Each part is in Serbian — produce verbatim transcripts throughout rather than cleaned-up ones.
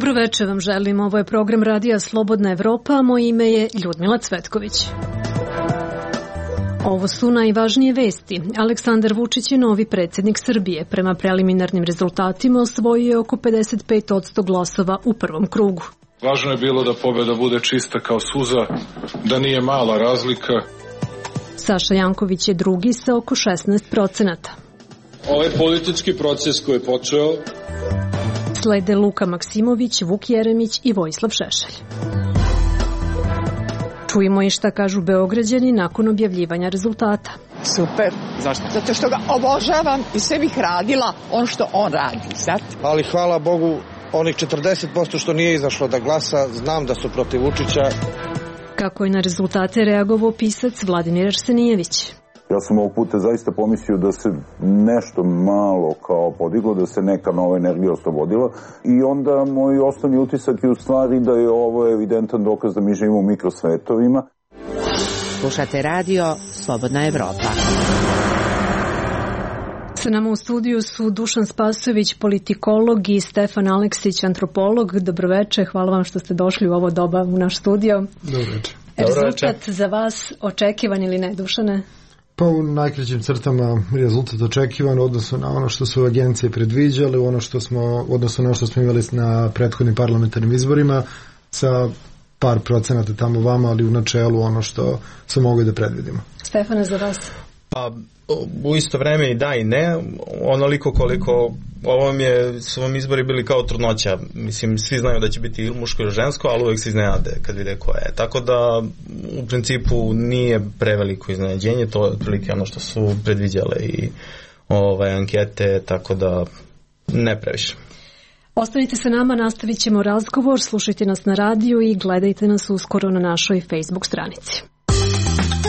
Dobro večer vam želim, ovo je program radija Slobodna Evropa, a moje ime je Ljudmila Cvetković. Ovo su najvažnije vesti. Aleksandar Vučić je novi predsjednik Srbije. Prema preliminarnim rezultatima osvojio je oko pedeset pet posto glasova u prvom krugu. Važno je bilo da pobjeda bude čista kao suza, da nije mala razlika. Saša Janković je drugi sa oko šesnaest procenata. Ovaj politički proces koji je počeo... Slede Luka Maksimović, Vuk Jeremić i Vojislav Šešelj. Čujemo i šta kažu Beograđani nakon objavljivanja rezultata. Super. Zašto? Zato što ga obožavam i sve bih radila on što on radi, znate? Ali hvala Bogu, onih četrdeset posto što nije izašlo da glasa, znam da su protiv Vučića. Kako je na rezultate reagovao pisac Vladimir Arsenijević? Ja sam ovog puta zaista pomislio da se nešto malo kao podiglo, da se neka nova energija oslobodila i onda moj osnovni utisak je u stvari da je ovo evidentan dokaz da mi živimo u mikrosvetovima. Slušate radio Slobodna Evropa. Sa nama u studiju su Dušan Spasojević, politikolog, i Stefan Aleksić, antropolog. Dobroveče, hvala vam što ste došli u ovo doba u naš studio. Dobroveče. Rezultat za vas očekivan ili ne, Dušane? Pa u najkraćim crtama rezultat očekivan odnosno na ono što su agencije predviđale, ono što smo, odnosno na ono što smo imali na prethodnim parlamentarnim izborima, sa par procenata tamo vama, ali u načelu ono što smo mogli da predvidimo. Stefane, za vas? Pa u isto vreme i da i ne, onoliko koliko ovom je, su vam izbori bili kao trudnoća, mislim svi znaju da će biti ili muško ili žensko, ali uvijek se iznenade kad vide ko je, tako da u principu nije preveliko iznenađenje, to je otprilike ono što su predviđale i ovaj, ankete, tako da ne previše. Ostanite sa nama, nastavit ćemo razgovor, slušajte nas na radiju i gledajte nas uskoro na našoj Facebook stranici.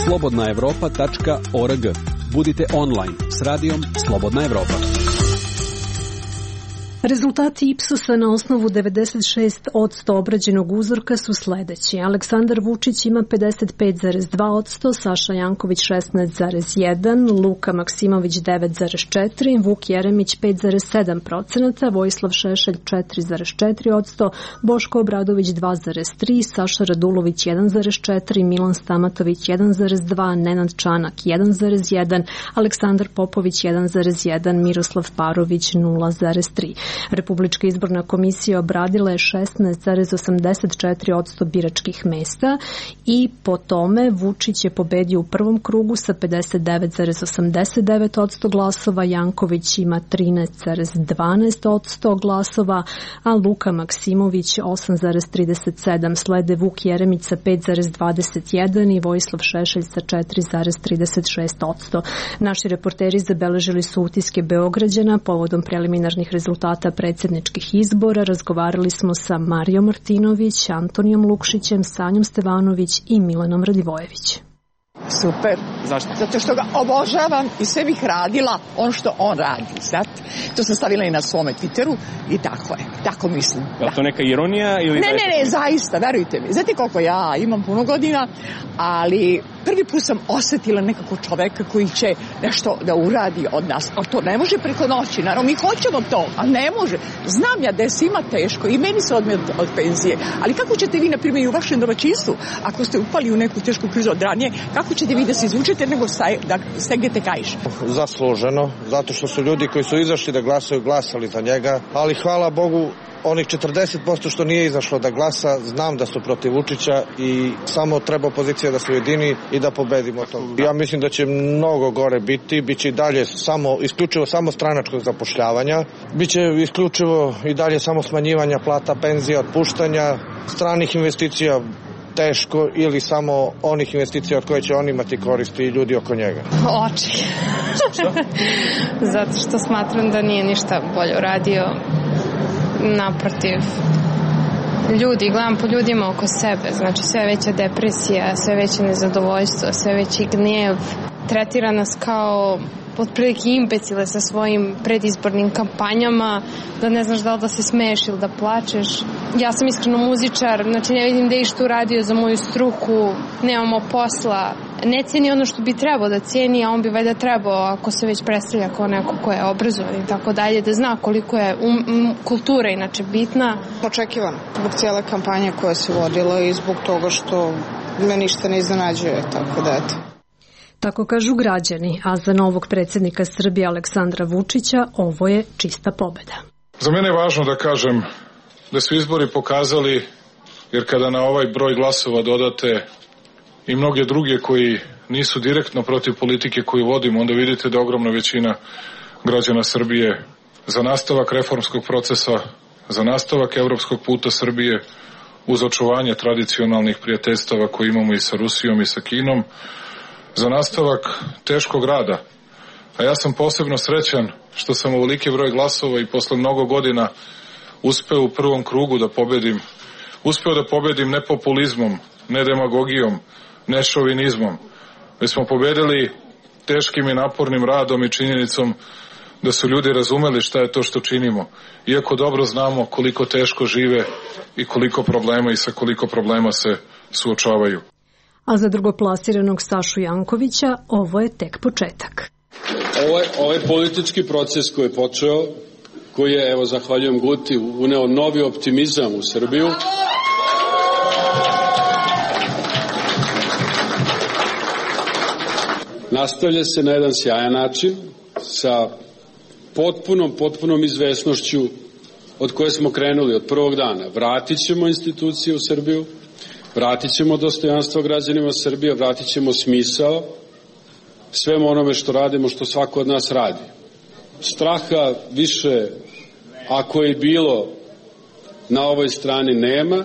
slobodna evropa tačka org. Budite online s radijom Slobodna Evropa. Rezultati Ipsosa na osnovu devedeset šest posto obrađenog uzorka su sledeći. Aleksandar Vučić ima pedeset pet zarez dva posto, Saša Janković šesnaest zarez jedan, Luka Maksimović devet zarez četiri, Vuk Jeremić pet zarez sedam procenata, Vojislav Šešelj četiri zarez četiri posto, Boško Obradović dva zarez tri, Saša Radulović jedan zarez četiri, Milan Stamatović jedan zarez dva, Nenad Čanak jedan zarez jedan, Aleksandar Popović jedan zarez jedan, Miroslav Parović nula zarez tri. Republička izborna komisija obradila je šesnaest zarez osamdeset četiri posto biračkih mesta i po tome Vučić je pobedio u prvom krugu sa pedeset devet zarez osamdeset devet posto glasova, Janković ima trinaest zarez dvanaest posto glasova, a Luka Maksimović osam zarez trideset sedam, slede Vuk Jeremić sa pet zarez dvadeset jedan i Vojislav Šešelj sa četiri zarez trideset šest posto. Naši reporteri zabeležili su utiske Beograđana povodom preliminarnih rezultata predsjedničkih izbora. Razgovarali smo sa Marijom Martinović, Antonijom Lukšićem, Sanjom Stevanović i Milanom Radivojević. Super. Zašto? Zato što ga obožavam i sve bih radila on što on radi, znate? To sam stavila i na svome Twitteru i tako je, tako mislim. Je li to neka ironija ili... Ne, ne, ne, zaista, verujte mi. Znate koliko ja imam puno godina, ali prvi put sam osjetila nekako čoveka koji će nešto da uradi od nas, ali to ne može preko noći, naravno mi hoćemo to, ali ne može. Znam ja da je svima teško i meni se odme od penzije, ali kako ćete vi, na primjer, i u vašem domaćinstvu, ako ste upali u neku tešku krizu od ranije, kako ćete vi da se izvučete nego staj, da stegnete kaiš? Zasluženo, zato što su ljudi koji su izašli da glasaju glasali za njega, ali hvala Bogu, onih četrdeset posto što nije izašlo da glasa, znam da su protiv Vučića i samo treba opozicija da se ujedini i da pobedimo to. Ja mislim da će mnogo gore biti, bit će i dalje samo, isključivo samo stranačkog zapošljavanja, bit će isključivo i dalje samo smanjivanja plata, penzija, otpuštanja, stranih investicija teško ili samo onih investicija od koje će on imati koristi i ljudi oko njega. Oči. Zato što smatram da nije ništa bolje uradio. Naprotiv, ljudi, gledam po ljudima oko sebe, znači sve veća depresija, sve veće nezadovoljstvo, sve veći gnjev, tretira nas kao otprilike imbecile sa svojim predizbornim kampanjama, da ne znaš da li da se smeješ ili da plačeš. ja sam iskreno muzičar, znači ne vidim da je išta uradio za moju struku, nemamo posla, ne cijeni ono što bi trebao da cijeni, a on bi valjda trebao, ako se već predstavlja kao neko ko je obrazovan i tako dalje, da zna koliko je um, um, kultura inače bitna. Očekivan zbog cijele kampanje koja se vodila i zbog toga što me ništa ne iznenađuje, tako da eto. Tako kažu građani, a za novog predsjednika Srbije Aleksandra Vučića ovo je čista pobjeda. Za mene je važno da kažem da su izbori pokazali, jer kada na ovaj broj glasova dodate i mnoge druge koji nisu direktno protiv politike koju vodimo, onda vidite da ogromna većina građana Srbije za nastavak reformskog procesa, za nastavak evropskog puta Srbije, uz očuvanje tradicionalnih prijateljstava koje imamo i sa Rusijom i sa Kinom, za nastavak teškog rada. A ja sam posebno srećan što sam ovoliki broj glasova i posle mnogo godina uspeo u prvom krugu da pobedim. Uspeo da pobedim ne populizmom, ne demagogijom, ne šovinizmom, već smo pobedili teškim i napornim radom i činjenicom da su ljudi razumeli šta je to što činimo, iako dobro znamo koliko teško žive i koliko problema i sa koliko problema se suočavaju. A za drugoplasiranog Sašu Jankovića ovo je tek početak. Ovaj, ovaj politički proces koji je počeo, koji je, evo, zahvaljujem Guti, uneo novi optimizam u Srbiju. Nastavlja se na jedan sjajan način sa potpunom, potpunom izvesnošću od koje smo krenuli od prvog dana. Vratit ćemo institucije u Srbiju, vratit ćemo dostojanstvo građanima Srbije, vratit ćemo smisao svemu onome što radimo, što svako od nas radi. Straha više, ako je bilo, na ovoj strani nema.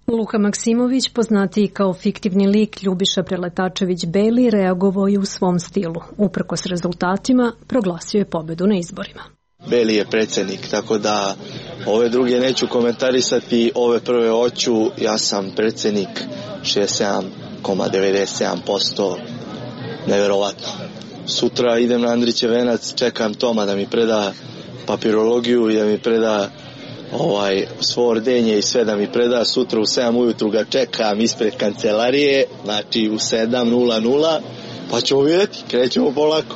Luka Maksimović, poznatiji kao fiktivni lik Ljubiša Preletačević-Beli, reagovao je u svom stilu. Uprkos rezultatima, proglasio je pobedu na izborima. Beli je predsjednik, tako da ove druge neću komentarisati, ove prve hoću. Ja sam predsjednik, šezdeset sedam zarez devedeset sedam posto, neverovatno. Sutra idem na Andrićev venac, čekam Toma da mi preda papirologiju i da mi preda ovaj, svo ordenje i sve da mi preda. Sutra u sedam ujutru ga čekam ispred kancelarije, znači u sedam nula nula, pa ćemo vidjeti, krećemo polako.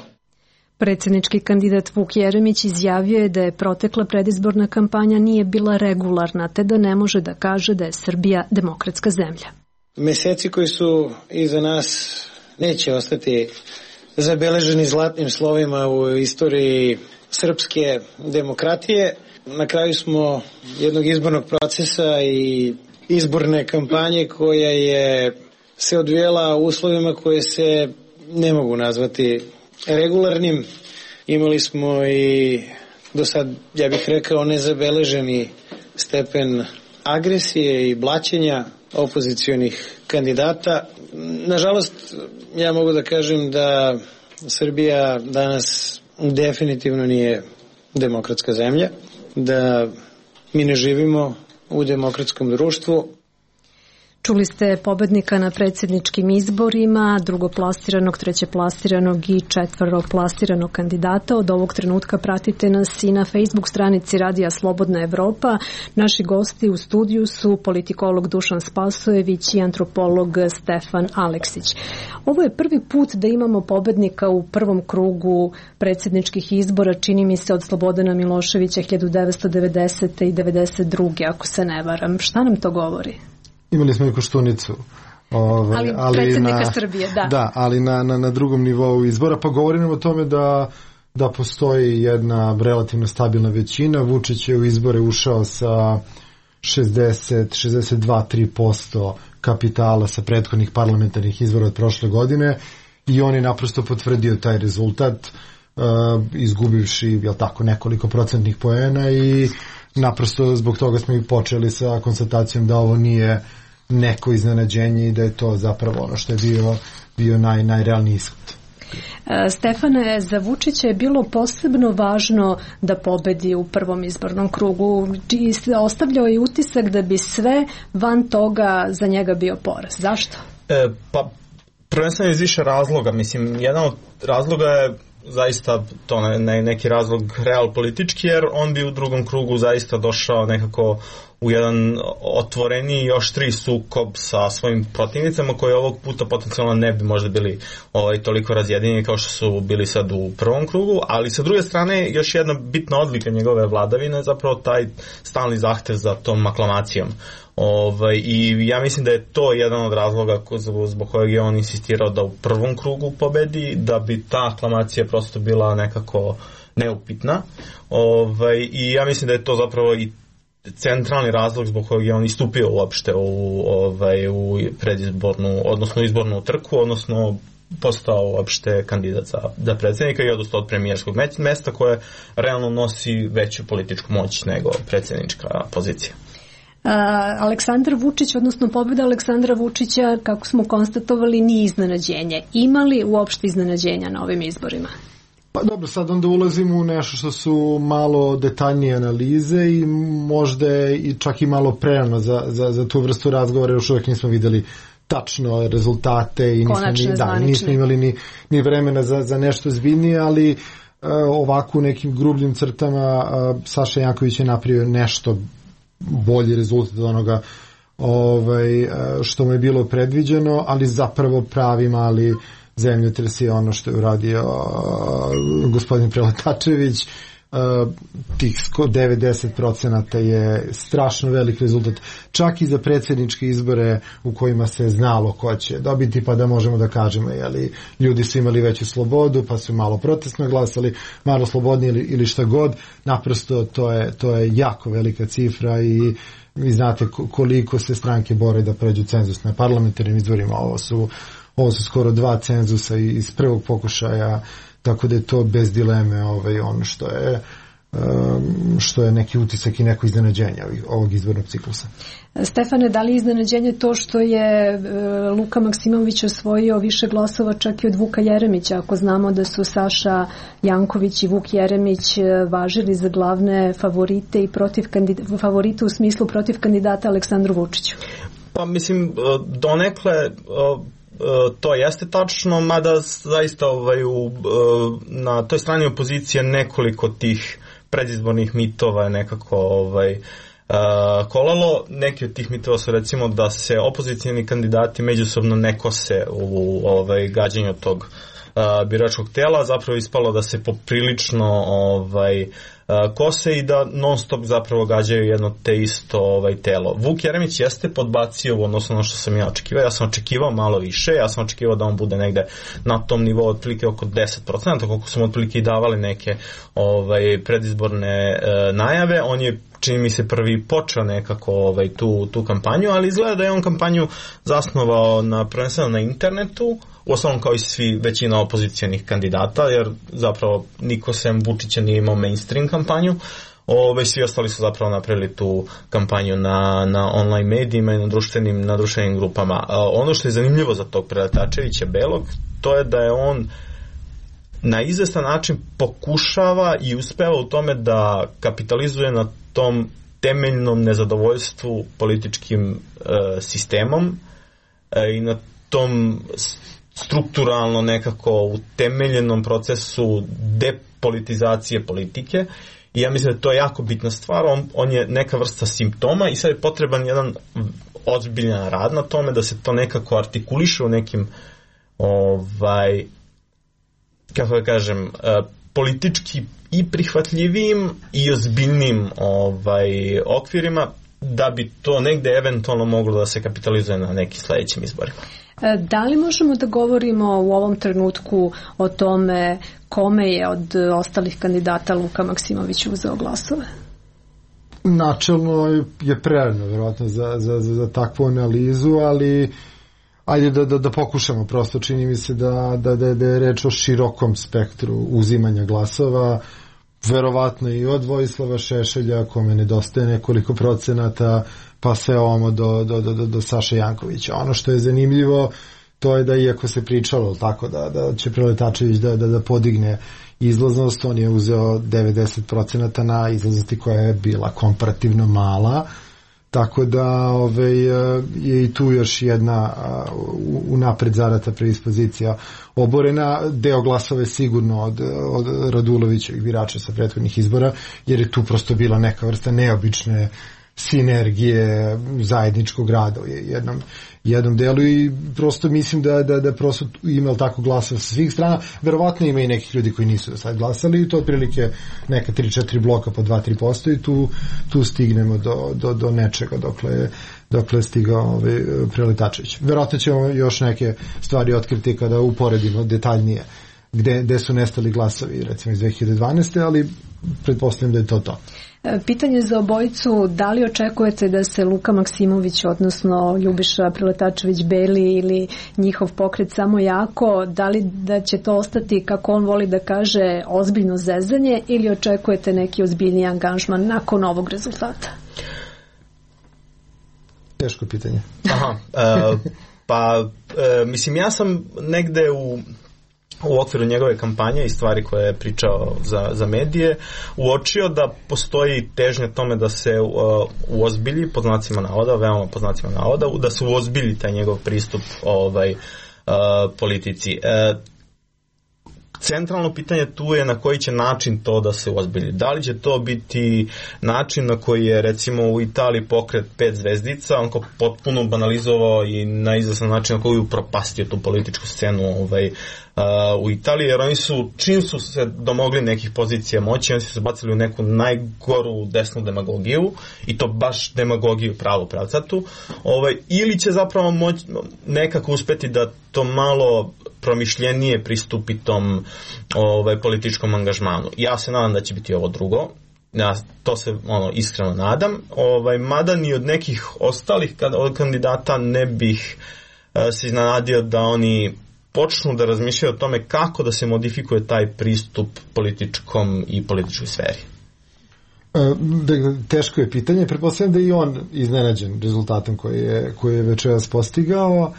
Predsjednički kandidat Vuk Jeremić izjavio je da je protekla predizborna kampanja nije bila regularna, te da ne može da kaže da je Srbija demokratska zemlja. Meseci koji su iza nas neće ostati zabeleženi zlatnim slovima u istoriji srpske demokratije. Na kraju smo jednog izbornog procesa i izborne kampanje koja je se odvijela u uslovima koje se ne mogu nazvati regularnim. Imali smo i do sad, ja bih rekao, nezabeleženi stepen agresije i blaćenja opozicionih kandidata. Nažalost, ja mogu da kažem da Srbija danas definitivno nije demokratska zemlja, da mi ne živimo u demokratskom društvu. Čuli ste pobednika na predsjedničkim izborima, drugoplasiranog, trećeplasiranog i četvrtoplasiranog kandidata. Od ovog trenutka pratite nas i na Facebook stranici Radija Slobodna Evropa. Naši gosti u studiju su politikolog Dušan Spasojević i antropolog Stefan Aleksić. Ovo je prvi put da imamo pobednika u prvom krugu predsjedničkih izbora, čini mi se od Slobodana Miloševića hiljadu devetsto devedesete. i devedeset druge. ako se ne varam. Šta nam to govori? Imali smo i Koštunicu. Ovaj, ali, ali predsjednika na, Srbije, da. Da, ali na, na, na drugom nivou izbora, pa govorimo o tome da, da postoji jedna relativno stabilna većina. Vučić je u izbore ušao sa šezdeset, šezdeset dva zarez tri posto kapitala sa prethodnih parlamentarnih izbora od prošle godine i on je naprosto potvrdio taj rezultat, uh, izgubivši, jel tako, nekoliko procentnih poena i naprosto zbog toga smo i počeli sa konstatacijom da ovo nije neko iznenađenje i da je to zapravo ono što je bio, bio naj, najrealniji ishod. Stefane, za Vučića je bilo posebno važno da pobedi u prvom izbornom krugu. Ostavljao je utisak da bi sve van toga za njega bio poraz. Zašto? E, pa prvenstveno iz više razloga. Mislim, jedan od razloga je zaista to ne, neki razlog real politički, jer on bi u drugom krugu zaista došao nekako u jedan otvoreni i oštriji sukob sa svojim protivnicama koji ovog puta potencijalno ne bi možda bili ovaj, toliko razjedinjeni kao što su bili sad u prvom krugu, ali sa druge strane još jedna bitna odlika njegove vladavine je zapravo taj stalni zahtev za tom aklamacijom. Ovaj, i ja mislim da je to jedan od razloga zbog kojeg je on insistirao da u prvom krugu pobedi, da bi ta aklamacija prosto bila nekako neupitna. Ovaj, i ja mislim da je to zapravo i centralni razlog zbog kojeg je on istupio uopšte u, ovaj, u predizbornu, odnosno izbornu trku, odnosno postao uopšte kandidat za, za predsjednika i odustao od premijerskog mesta koje realno nosi veću političku moć nego predsjednička pozicija. Uh, Aleksandar Vučić, odnosno pobjeda Aleksandra Vučića, kako smo konstatovali, nije iznenađenje. Ima li uopšte iznenađenja na ovim izborima? Pa dobro, sad onda ulazimo u nešto što su malo detaljnije analize i možda i čak i malo prerano za, za, za tu vrstu razgovora, još uvijek nismo vidjeli tačno rezultate i nismo, ni, da, nismo imali ni, ni vremena za, za nešto zbiljnije, ali uh, ovako u nekim grubljim crtama uh, Saša Janković je napravio nešto bolji rezultat od onoga ovaj, što mu je bilo predviđeno, ali zapravo pravi mali zemljotres je ono što je uradio uh, gospodin Preletačević. Uh, tih devedeset procenata je strašno velik rezultat, čak i za predsjedničke izbore u kojima se znalo ko će dobiti, pa da možemo da kažemo, jeli, ljudi su imali veću slobodu, pa su malo protestno glasali, malo slobodnije ili, ili šta god. Naprosto to je, to je jako velika cifra i vi znate koliko se stranke bore da pređu cenzus na parlamentarnim izborima. Ovo su, ovo su skoro dva cenzusa iz prvog pokušaja, tako da je to bez dileme ovaj, ono što je, um, što je neki utisak i neko iznenađenje ovog izbornog ciklusa. Stefane, da li je iznenađenje to što je uh, Luka Maksimović osvojio više glasova čak i od Vuka Jeremića, ako znamo da su Saša Janković i Vuk Jeremić važili za glavne favorite i protiv kandidata, favorite u smislu protiv kandidata Aleksandru Vučiću? Pa mislim, donekle to jeste tačno, mada zaista ovaj, u, na toj strani opozicije nekoliko tih predizbornih mitova je nekako ovaj, kolalo. Neki od tih mitova su recimo da se opozicijni kandidati međusobno ne kose u ovaj, gađanju tog biračkog tela, zapravo ispalo da se poprilično ovaj, kose i da non stop zapravo gađaju jedno te isto ovaj, telo. Vuk Jeremić jeste podbacio u odnosu na što sam ja očekivao. Ja sam očekivao malo više, ja sam očekivao da on bude negde na tom nivou otprilike oko deset procenata, koliko smo otprilike i davali neke ovaj, predizborne e, najave. On je, čini mi se, prvi počeo nekako ovaj, tu, tu kampanju, ali izgleda da je on kampanju zasnovao na, prvenstveno na internetu, u osnovom kao i svi većina opozicijanih kandidata, jer zapravo niko sem Vučića nije imao mainstream kampanju. Ove, svi ostali su zapravo napravili tu kampanju na, na online medijima i na društvenim, na društvenim grupama. A, ono što je zanimljivo za tog Preletačevića Belog, to je da je on na izvestan način pokušava i uspeva u tome da kapitalizuje na tom temeljnom nezadovoljstvu političkim e, sistemom e, i na tom strukturalno nekako utemeljenom procesu depolitizacije politike. I ja mislim da to je jako bitna stvar. On, on je neka vrsta simptoma i sad je potreban jedan ozbiljan rad na tome da se to nekako artikuliše u nekim ovaj, kako da kažem, politički i prihvatljivim i ozbiljnim ovaj, okvirima, da bi to negde eventualno moglo da se kapitalizuje na nekim sledećim izborima. Da li možemo da govorimo u ovom trenutku o tome kome je od ostalih kandidata Luka Maksimović uzeo glasove? Načelno je prerano, vjerojatno, za, za, za, za takvu analizu, ali ajde da, da, da pokušamo. Prosto čini mi se da, da, da, da je reč o širokom spektru uzimanja glasova, verovatno i od Vojislava Šešelja, kome nedostaje nekoliko procenata, pa sve ovamo do, do, do, do Saše Jankovića. Ono što je zanimljivo, to je da iako se pričalo tako da, da će Preletačević da, da, da podigne izlaznost, on je uzeo devedeset procenata na izlaznosti koja je bila komparativno mala, Tako da ovaj, je i tu još jedna unapred zarata predispozicija oborena. Deo glasova je sigurno od, od Radulovićevih birača sa prethodnih izbora, jer je tu prosto bila neka vrsta neobične sinergije zajedničkog rada u jednom, jednom delu i prosto mislim da, da, da prosto ima tako glasova sa svih strana. Verovatno ima i nekih ljudi koji nisu do sad glasali i to otprilike neka tri četiri bloka po dva do tri posto i tu, tu stignemo do, do, do nečega dokle, dokle je stigao ovaj Preletačević. Verovatno ćemo još neke stvari otkriti kada uporedimo detaljnije gde, gde su nestali glasovi recimo iz dve hiljade dvanaeste. ali pretpostavljam da je to to. Pitanje za obojicu, da li očekujete da se Luka Maksimović, odnosno Ljubiša Preletačević Beli ili njihov pokret Samo jako, da li da će to ostati, kako on voli da kaže, ozbiljno zezanje ili očekujete neki ozbiljniji angažman nakon ovog rezultata? Teško pitanje. Aha, e, pa e, mislim ja sam negde u u okviru njegove kampanje i stvari koje je pričao za, za medije, uočio da postoji težnja tome da se uh, uozbilji, pod znacima navoda, veoma pod znacima navoda, da se uozbilji taj njegov pristup ovaj, uh, politici. Uh, Centralno pitanje tu je na koji će način to da se uozbilji. Da li će to biti način na koji je recimo u Italiji pokret pet zvezdica, on ko potpuno banalizovao i na izvestan način na koji je upropastio tu političku scenu ovaj, uh, u Italiji, jer oni su, čim su se domogli nekih pozicija moći, oni su se bacili u neku najgoru desnu demagogiju i to baš demagogiju pravu pravcatu, ovaj, ili će zapravo moć, nekako uspeti da to malo promišljenije pristupi tom ovaj, političkom angažmanu. Ja se nadam da će biti ovo drugo. Ja to se ono, iskreno nadam. Ovaj, mada ni od nekih ostalih od kandidata ne bih uh, se iznenadio da oni počnu da razmišljaju o tome kako da se modifikuje taj pristup političkom i političkoj sferi. Teško je pitanje. Pretpostavljam da je i on iznenađen rezultatom koji je, koji je večeras postigao.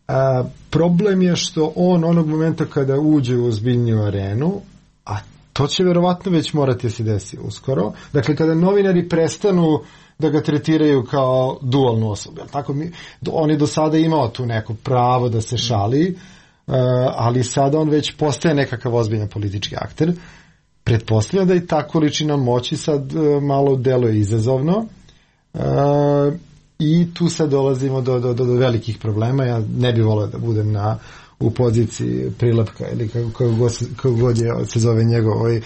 A, problem je što on onog momenta kada uđe u ozbiljniju arenu, a to će verovatno već morati se desiti uskoro, dakle kada novinari prestanu da ga tretiraju kao dualnu osobu, tako mi, on je do sada imao tu neko pravo da se šali, uh, ali sada on već postaje nekakav ozbiljan politički akter. Pretpostavljam da i ta količina moći sad uh, malo deluje izazovno, uh, i tu sad dolazimo do, do, do, do velikih problema. Ja ne bih volio da budem na, u poziciji Prilapka ili kako, kako, god, kako god je se zove njegov ovaj,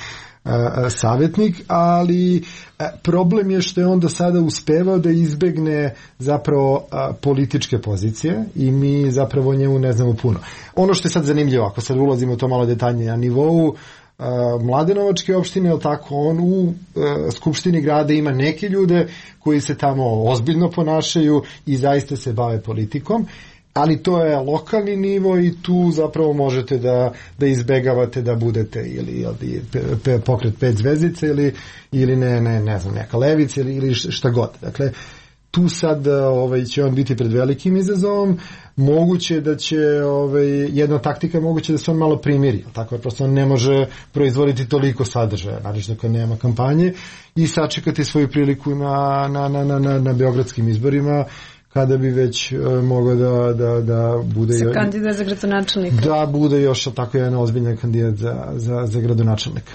a, savjetnik, ali a, problem je što je on do sada uspevao da izbegne zapravo a, političke pozicije i mi zapravo o njemu ne znamo puno. Ono što je sad zanimljivo, ako sad ulazimo u to malo detaljnije na nivou Mladenovačke opštine, je tako, on u uh, Skupštini grada ima neke ljude koji se tamo ozbiljno ponašaju i zaista se bave politikom, ali to je lokalni nivo i tu zapravo možete da, da izbegavate da budete ili, ili pe, pokret pet zvezdica ili, ili ne, ne, ne znam, neka levica ili, ili šta god. Dakle, tu sad ovaj, će on biti pred velikim izazovom. Moguće da će ovaj, jedna taktika moguće da se on malo primiri, tako je, prosto on ne može proizvoditi toliko sadržaja, naravno kad nema kampanje, i sačekati svoju priliku na, na, na, na, na, na beogradskim izborima, kada bi već uh, mogao da, da, da bude... Se kandidat za gradonačelnika. Da bude još tako jedan ozbiljan kandidat za, za, za gradonačelnika.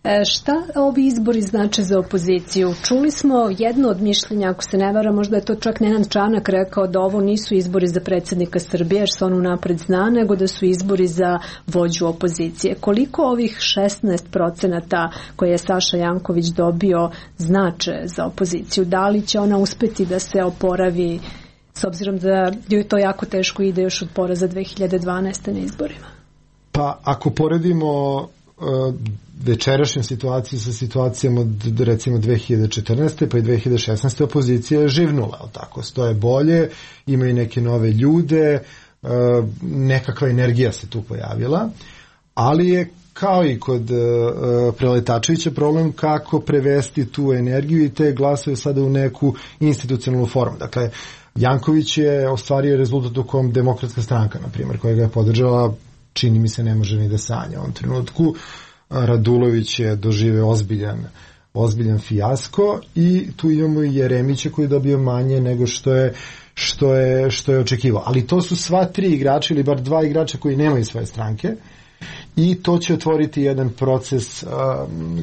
E, šta ovi izbori znače za opoziciju? Čuli smo jedno od mišljenja, ako se ne vara, možda je to čak Nenad Čanak rekao da ovo nisu izbori za predsjednika Srbije, jer se on unapred zna, nego da su izbori za vođu opozicije. Koliko ovih šesnaest procenata koje je Saša Janković dobio znače za opoziciju? Da li će ona uspeti da se oporavi, s obzirom da je to jako teško ide još od poraza dve hiljade dvanaeste na izborima? Pa ako poredimo uh, večerašnju situaciju sa situacijom od recimo dve hiljade četrnaeste pa i dve hiljade šesnaeste opozicija je živnula, tako, stoje bolje, imaju neke nove ljude, uh, nekakva energija se tu pojavila, ali je kao i kod uh, Preletačevića problem kako prevesti tu energiju i te glasove sada u neku institucionalnu formu. Dakle, Janković je ostvario rezultat u kom Demokratska stranka, na primjer, koja ga je podržala, čini mi se ne može ni da sanja u ovom trenutku. Radulović je doživeo ozbiljan ozbiljan fijasko i tu imamo i Jeremića koji je dobio manje nego što je što je, što je očekivao. Ali to su sva tri igrača ili bar dva igrača koji nemaju svoje stranke i to će otvoriti jedan proces uh,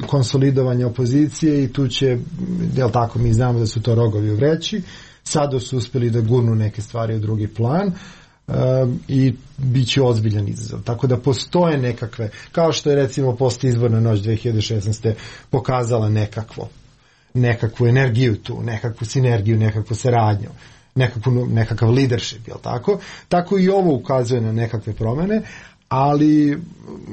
konsolidovanja opozicije i tu će, jel tako, mi znamo da su to rogovi u vreći, sada su uspeli da gurnu neke stvari u drugi plan uh, i bit će ozbiljan izazov. Tako da postoje nekakve, kao što je recimo post izborna noć dve hiljade šesnaeste pokazala nekakvo, nekakvu energiju tu, nekakvu sinergiju, nekakvu saradnju, nekakvu, nekakav leadership, jel tako? Tako i ovo ukazuje na nekakve promene, ali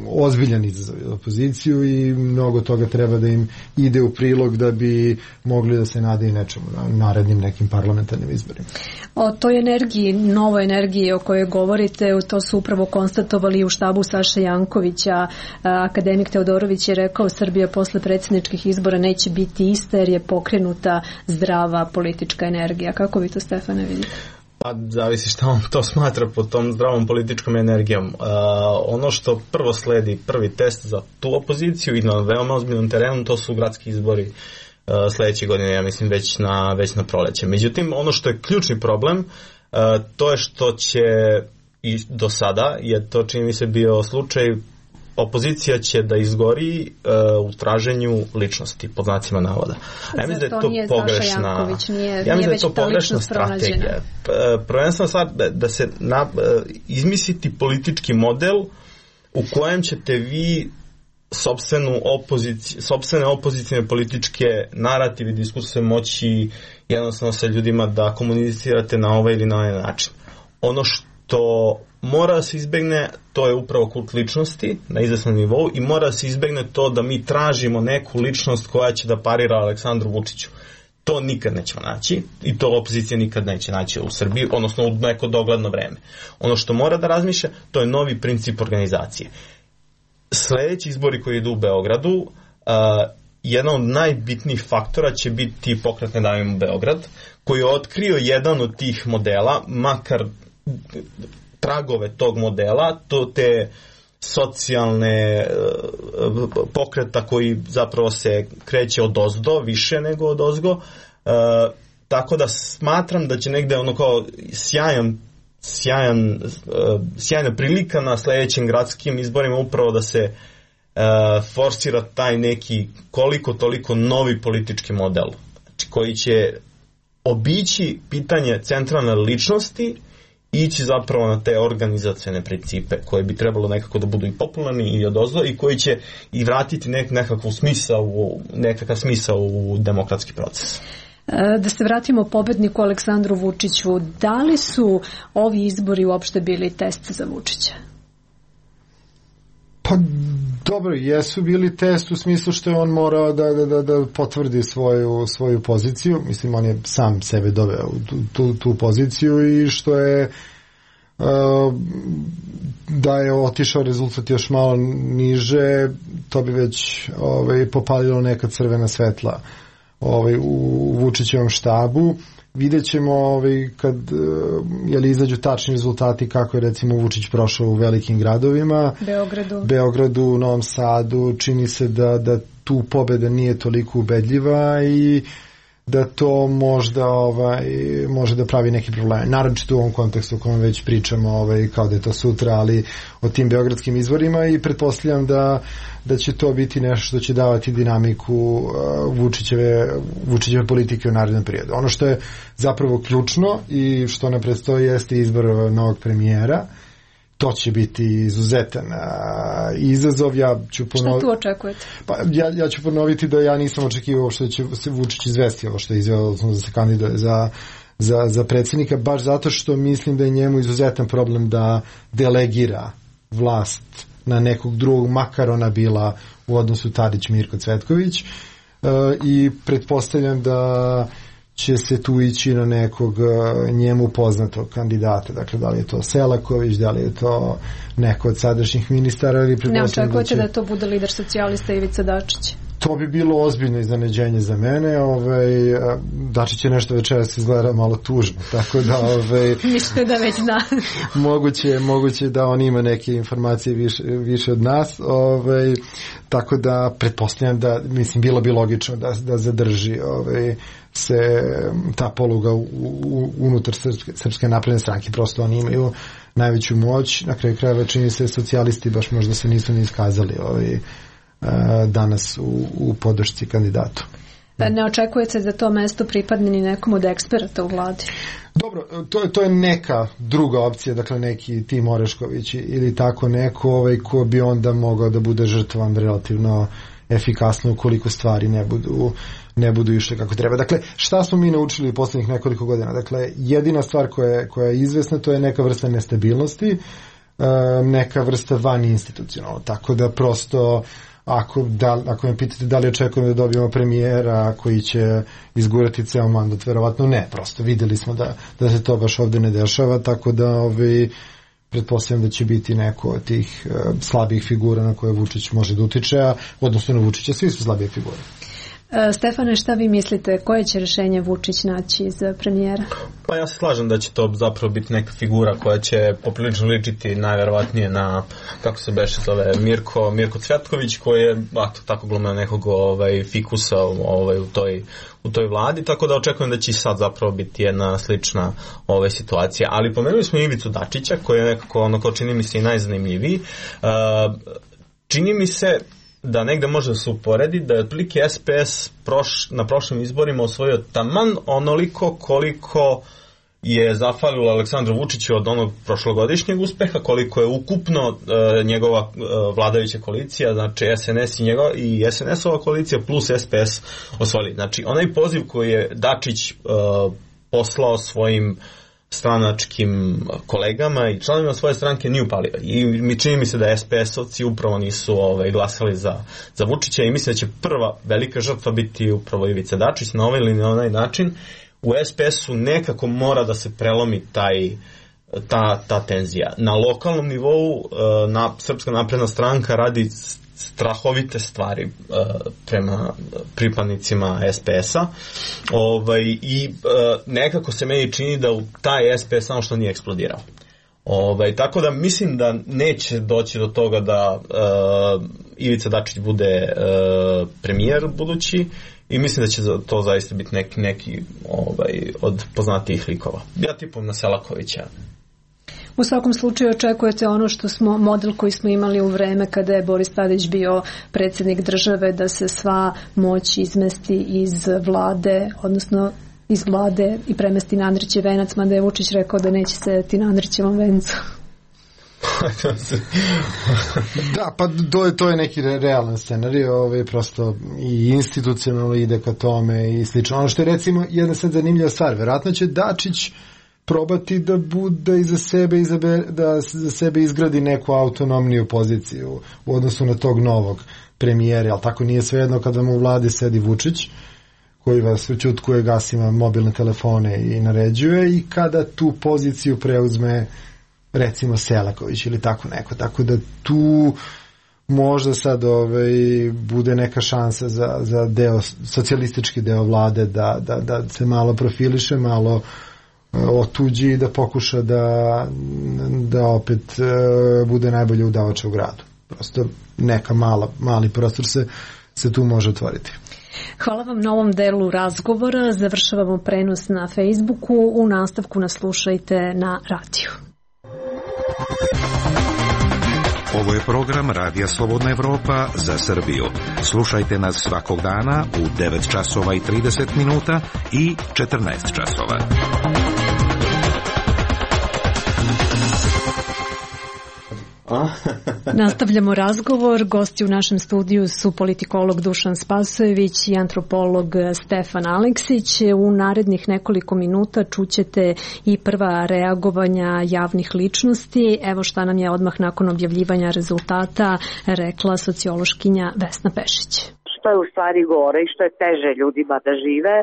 ozbiljan izazov za opoziciju i mnogo toga treba da im ide u prilog da bi mogli da se nadaju nečemu na narednim nekim parlamentarnim izborima. O toj energiji, novoj energiji o kojoj govorite, to su upravo konstatovali u štabu Saše Jankovića. Akademik Teodorović je rekao Srbija posle predsjedničkih izbora neće biti ista jer je pokrenuta zdrava politička energija. Kako vi to, Stefane, vidite? Pa zavisi šta on to smatra pod tom zdravom političkom energijom. Uh, ono što prvo sledi, prvi test za tu opoziciju i na veoma ozbiljnom terenu, to su gradski izbori uh, sledeće godine, ja mislim već na, već na proleće. Međutim, ono što je ključni problem, uh, to je što će i do sada, je to čini mi se bio slučaj, opozicija će da izgori uh, u traženju ličnosti, pod znacima navoda. Ja mislim da je to pogrešna, ja mislim da je to pogrešna strategija. Prvenstveno stvar da, da se na, izmisliti politički model u kojem ćete vi sopstvenu opozici, sopstvene opozicijne političke narative i diskusije moći jednostavno sa ljudima da komunicirate na ovaj ili na ovaj način. Ono što mora da se izbegne, to je upravo kult ličnosti na izvesnom nivou i mora da se izbegne to da mi tražimo neku ličnost koja će da parira Aleksandru Vučiću. To nikad nećemo naći i to opozicija nikad neće naći u Srbiji, odnosno u neko dogledno vreme. Ono što mora da razmišlja, to je novi princip organizacije. Sledeći izbori koji idu u Beogradu, uh, jedan od najbitnijih faktora će biti Pokret Ne davimo Beograd, koji je otkrio jedan od tih modela, makar tragove tog modela, to te socijalne uh, pokreta koji zapravo se kreće od ozdo, više nego od ozgo, uh, tako da smatram da će negde ono kao sjajan, sjajan, uh, sjajna prilika na sledećim gradskim izborima upravo da se uh, forsira taj neki koliko toliko novi politički model, znači koji će obići pitanje centralne ličnosti, ići zapravo na te organizacione principe koje bi trebalo nekako da budu i popularni i odozdo i koji će i vratiti nek, nekakav smisao u, nekakav smisao u demokratski proces. Da se vratimo pobedniku Aleksandru Vučiću, da li su ovi izbori uopšte bili test za Vučića? Pa dobro, jesu bili test u smislu što je on morao da, da, da, da potvrdi svoju, svoju poziciju. Mislim, on je sam sebe doveo u tu, tu, tu poziciju i što je uh, da je otišao rezultat još malo niže, to bi već ovaj, popalilo neka crvena svetla ovaj, u Vučićevom štabu. Vidjet ćemo ovaj, kad jeli, izađu tačni rezultati kako je recimo Vučić prošao u velikim gradovima. Beogradu. Beogradu, Novom Sadu. Čini se da, da tu pobeda nije toliko ubedljiva i da to možda ovaj, može da pravi neki problem. Naročito u ovom kontekstu u kojem već pričamo ovaj, kao da je to sutra, ali o tim beogradskim izborima i pretpostavljam da, da će to biti nešto što će davati dinamiku uh, Vučićeve, Vučićeve politike u narednom periodu. Ono što je zapravo ključno i što ne predstoji jeste izbor novog premijera. To će biti izuzetan a, izazov. Ja ću ponoviti, šta tu očekujete? Pa, ja, ja ću ponoviti da ja nisam očekivao što će se Vučić izvesti ovo što je izveo da se kandiduje za, za, za predsjednika, baš zato što mislim da je njemu izuzetan problem da delegira vlast na nekog drugog, makar ona bila u odnosu Tadić-Mirko Cvetković, e, i pretpostavljam da će se tu ići na nekog njemu poznatog kandidata. Dakle, da li je to Selaković, da li je to neko od sadašnjih ministara ili ne očekujete da, će... da to bude lider socijalista Ivica Dačić? To bi bilo ozbiljno iznenađenje za mene. Ovaj, Dačić je nešto večeras izgleda malo tužno, tako da ovaj, mislite da već zna. moguće, moguće da on ima neke informacije više, više od nas, ovaj, tako da pretpostavljam da, mislim, bilo bi logično da, da zadrži ovaj, se ta poluga u, u, unutar Srpske, Srpske napredne stranke. Prosto oni imaju najveću moć. Na kraju krajeva čini se socijalisti baš možda se nisu ni iskazali ovaj, danas u, u podršci kandidatu. Ne očekujete da to mesto pripadne ni nekom od eksperata u vladi? Dobro, to je, to je neka druga opcija, dakle neki Tim Orešković ili tako neko ovaj, ko bi onda mogao da bude žrtvan relativno efikasno ukoliko stvari ne budu, ne budu išle kako treba. Dakle, šta smo mi naučili u poslednjih nekoliko godina? Dakle, jedina stvar koja je, koja je izvesna, to je neka vrsta nestabilnosti, neka vrsta van institucionalno, tako da prosto Ako, da, ako me pitate da li očekujemo da dobijemo premijera koji će izgurati ceo mandat, verovatno ne, prosto videli smo da, da se to baš ovde ne dešava, tako da ovaj, pretpostavljam da će biti neko od tih uh, slabih figura na koje Vučić može da utiče, a odnosno na Vučića svi su slabije figure. Stefane, šta vi mislite, koje će rešenje Vučić naći za premijera? Pa ja se slažem da će to zapravo biti neka figura koja će poprilično ličiti najverovatnije na, kako se beše zove, Mirko, Mirko Cvetković, koji je ato, tako glumio nekog ovaj, fikusa ovaj, u, toj, u toj vladi, tako da očekujem da će i sad zapravo biti jedna slična ovaj, situacija. Ali pomenuli smo Ivicu Dačića, koji je nekako, ono ko čini mi se i najzanimljiviji. Uh, čini mi se da negde može da se uporedi da je otprilike S P S proš, na prošlim izborima osvojio taman onoliko koliko je zafalilo Aleksandru Vučiću od onog prošlogodišnjeg uspeha, koliko je ukupno e, njegova e, vladajuća koalicija, znači S N S i, njegov, i S N S-ova koalicija plus S P S osvojili. Znači onaj poziv koji je Dačić e, poslao svojim stranačkim kolegama i članovima svoje stranke nije upalio. I mi čini mi se da S P S-ovci upravo nisu ovaj, glasali za, za Vučića i mislim da će prva velika žrtva biti upravo Ivica Dačić na ovaj ili na onaj način. U S P S-u nekako mora da se prelomi taj, ta, ta tenzija. Na lokalnom nivou na, Srpska napredna stranka radi strahovite stvari uh, prema pripadnicima S P S-a ovaj, i uh, nekako se meni čini da u taj S P S samo što nije eksplodirao. Ovaj, tako da mislim da neće doći do toga da uh, Ivica Dačić bude uh, premijer budući i mislim da će to zaista biti neki, neki ovaj, od poznatijih likova. Ja tipujem na Selakovića. U svakom slučaju očekujete ono što smo, model koji smo imali u vreme kada je Boris Tadić bio predsjednik države, da se sva moć izmesti iz vlade, odnosno iz vlade i premesti na Andrićev venac, mada je Vučić rekao da neće sedeti na Andrićevom vencu. Da, pa to je, to je neki realan scenarij, ovaj, prosto i institucionalno ide ka tome i slično. Ono što je recimo jedna sad zanimljiva stvar, verovatno će Dačić probati da bude iza sebe izabe, da za sebe izgradi neku autonomniju poziciju u odnosu na tog novog premijera, ali tako nije svejedno kada mu u vladi sedi Vučić koji vas ućutkuje, gasima mobilne telefone i naređuje, i kada tu poziciju preuzme recimo Selaković ili tako neko, tako da tu možda sad ovaj, bude neka šansa za, za deo, socijalistički deo vlade da, da, da se malo profiliše, malo otuđi i da pokuša da, da opet uh, bude najbolje udavača u gradu. Prosto neka mala, mali prostor se, se tu može otvoriti. Hvala vam na ovom delu razgovora. Završavamo prenos na Facebooku. U nastavku nas slušajte na radiju. Ovo je program Radija Slobodna Evropa za Srbiju. Slušajte nas svakog dana u devet časova i trideset minuta i četrnaest časova. Nastavljamo razgovor. Gosti u našem studiju su politikolog Dušan Spasojević i antropolog Stefan Aleksić. U narednih nekoliko minuta čućete i prva reagovanja javnih ličnosti. Evo šta nam je odmah nakon objavljivanja rezultata rekla sociološkinja Vesna Pešić. Što što je u stvari gore i što je teže ljudima da žive,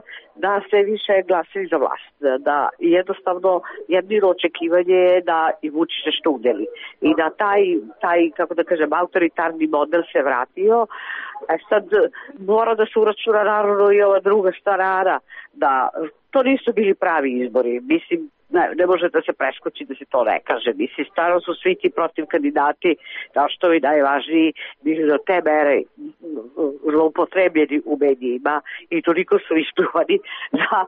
da sve više glasaju za vlast. Da jednostavno jedino očekivanje je da i Vučić nešto udeli. I da taj, taj, kako da kažem, autoritarni model se vratio. E sad mora da se uračuna naravno i ova druga starana, da to nisu bili pravi izbori. Mislim, ne, ne može da se preskoči da se to ne kaže. Mislim, stvarno su svi ti protiv kandidati, kao što je najvažniji, bili do te mere zloupotrebljeni u medijima i toliko su ispljuvani da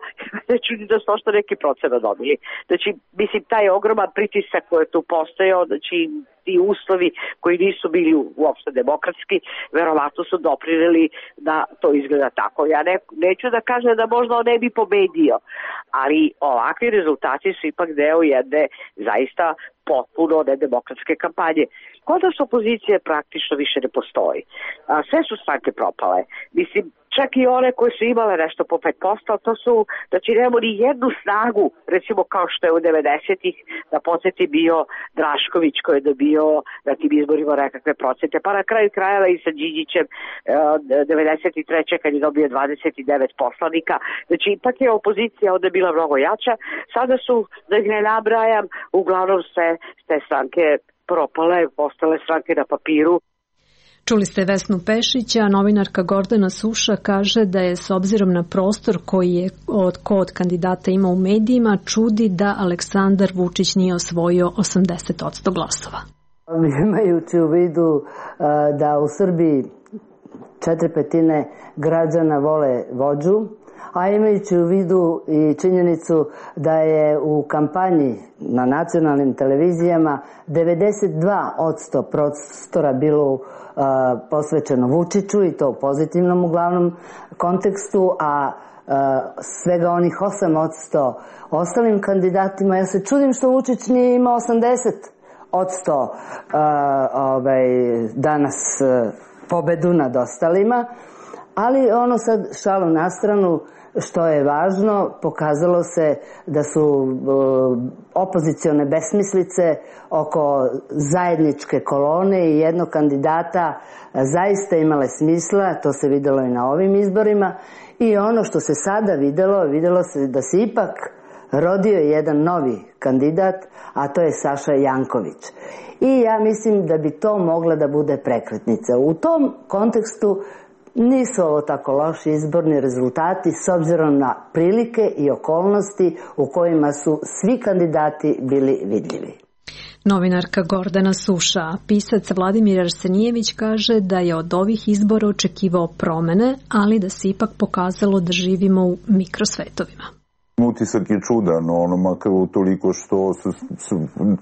ne čudi da su ošto neki procena dobili. Znači, mislim, taj ogroman pritisak koji je tu postojao, znači ti uslovi koji nisu bili uopšte demokratski, verovatno su doprineli da to izgleda tako. Ja ne, neću da kažem da možda on ne bi pobedio, ali ovakvi rezultati su ipak deo jedne zaista potpuno nedemokratske kampanje. Kod nas opozicije praktično više ne postoji. A, sve su stranke propale. Mislim, čak i one koje su imale nešto po pet posto, to su, znači nemamo ni jednu snagu, recimo kao što je u devedesetih, da podsjeti bio Drašković koji je dobio na tim izborima nekakve procente, pa na kraju krajeva i sa Đinđićem devedeset treće kad je dobio dvadeset devet poslanika. Znači, ipak je opozicija onda bila mnogo jača. Sada su, da ih ne nabrajam, uglavnom sve te stranke propale, postale stranke na papiru. Čuli ste Vesnu Pešića, novinarka Gordana Suša kaže da je s obzirom na prostor koji je od, ko od kandidata ima u medijima, čudi da Aleksandar Vučić nije osvojio osamdeset posto glasova. Imajući u vidu da u Srbiji četiri petine građana vole vođu, a imajući u vidu i činjenicu da je u kampanji na nacionalnim televizijama devedeset dva posto prostora bilo uh, posvećeno Vučiću i to u pozitivnom uglavnom kontekstu, a uh, svega onih osam posto ostalim kandidatima, ja se čudim što Vučić nije imao osamdeset posto uh, ovaj, danas uh, pobedu nad ostalima. Ali ono sad šalom na stranu, što je važno, pokazalo se da su uh, opozicione besmislice oko zajedničke kolone i jednog kandidata zaista imale smisla, to se videlo i na ovim izborima. I ono što se sada videlo, videlo se da se ipak rodio jedan novi kandidat, a to je Saša Janković. I ja mislim da bi to mogla da bude prekretnica. U tom kontekstu nisu ovo tako loši izborni rezultati s obzirom na prilike i okolnosti u kojima su svi kandidati bili vidljivi. Novinarka Gordana Suša, a pisac Vladimir Arsenijević kaže da je od ovih izbora očekivao promene, ali da se ipak pokazalo da živimo u mikrosvetovima. Utisak je čudan, ono, makar toliko što su, su,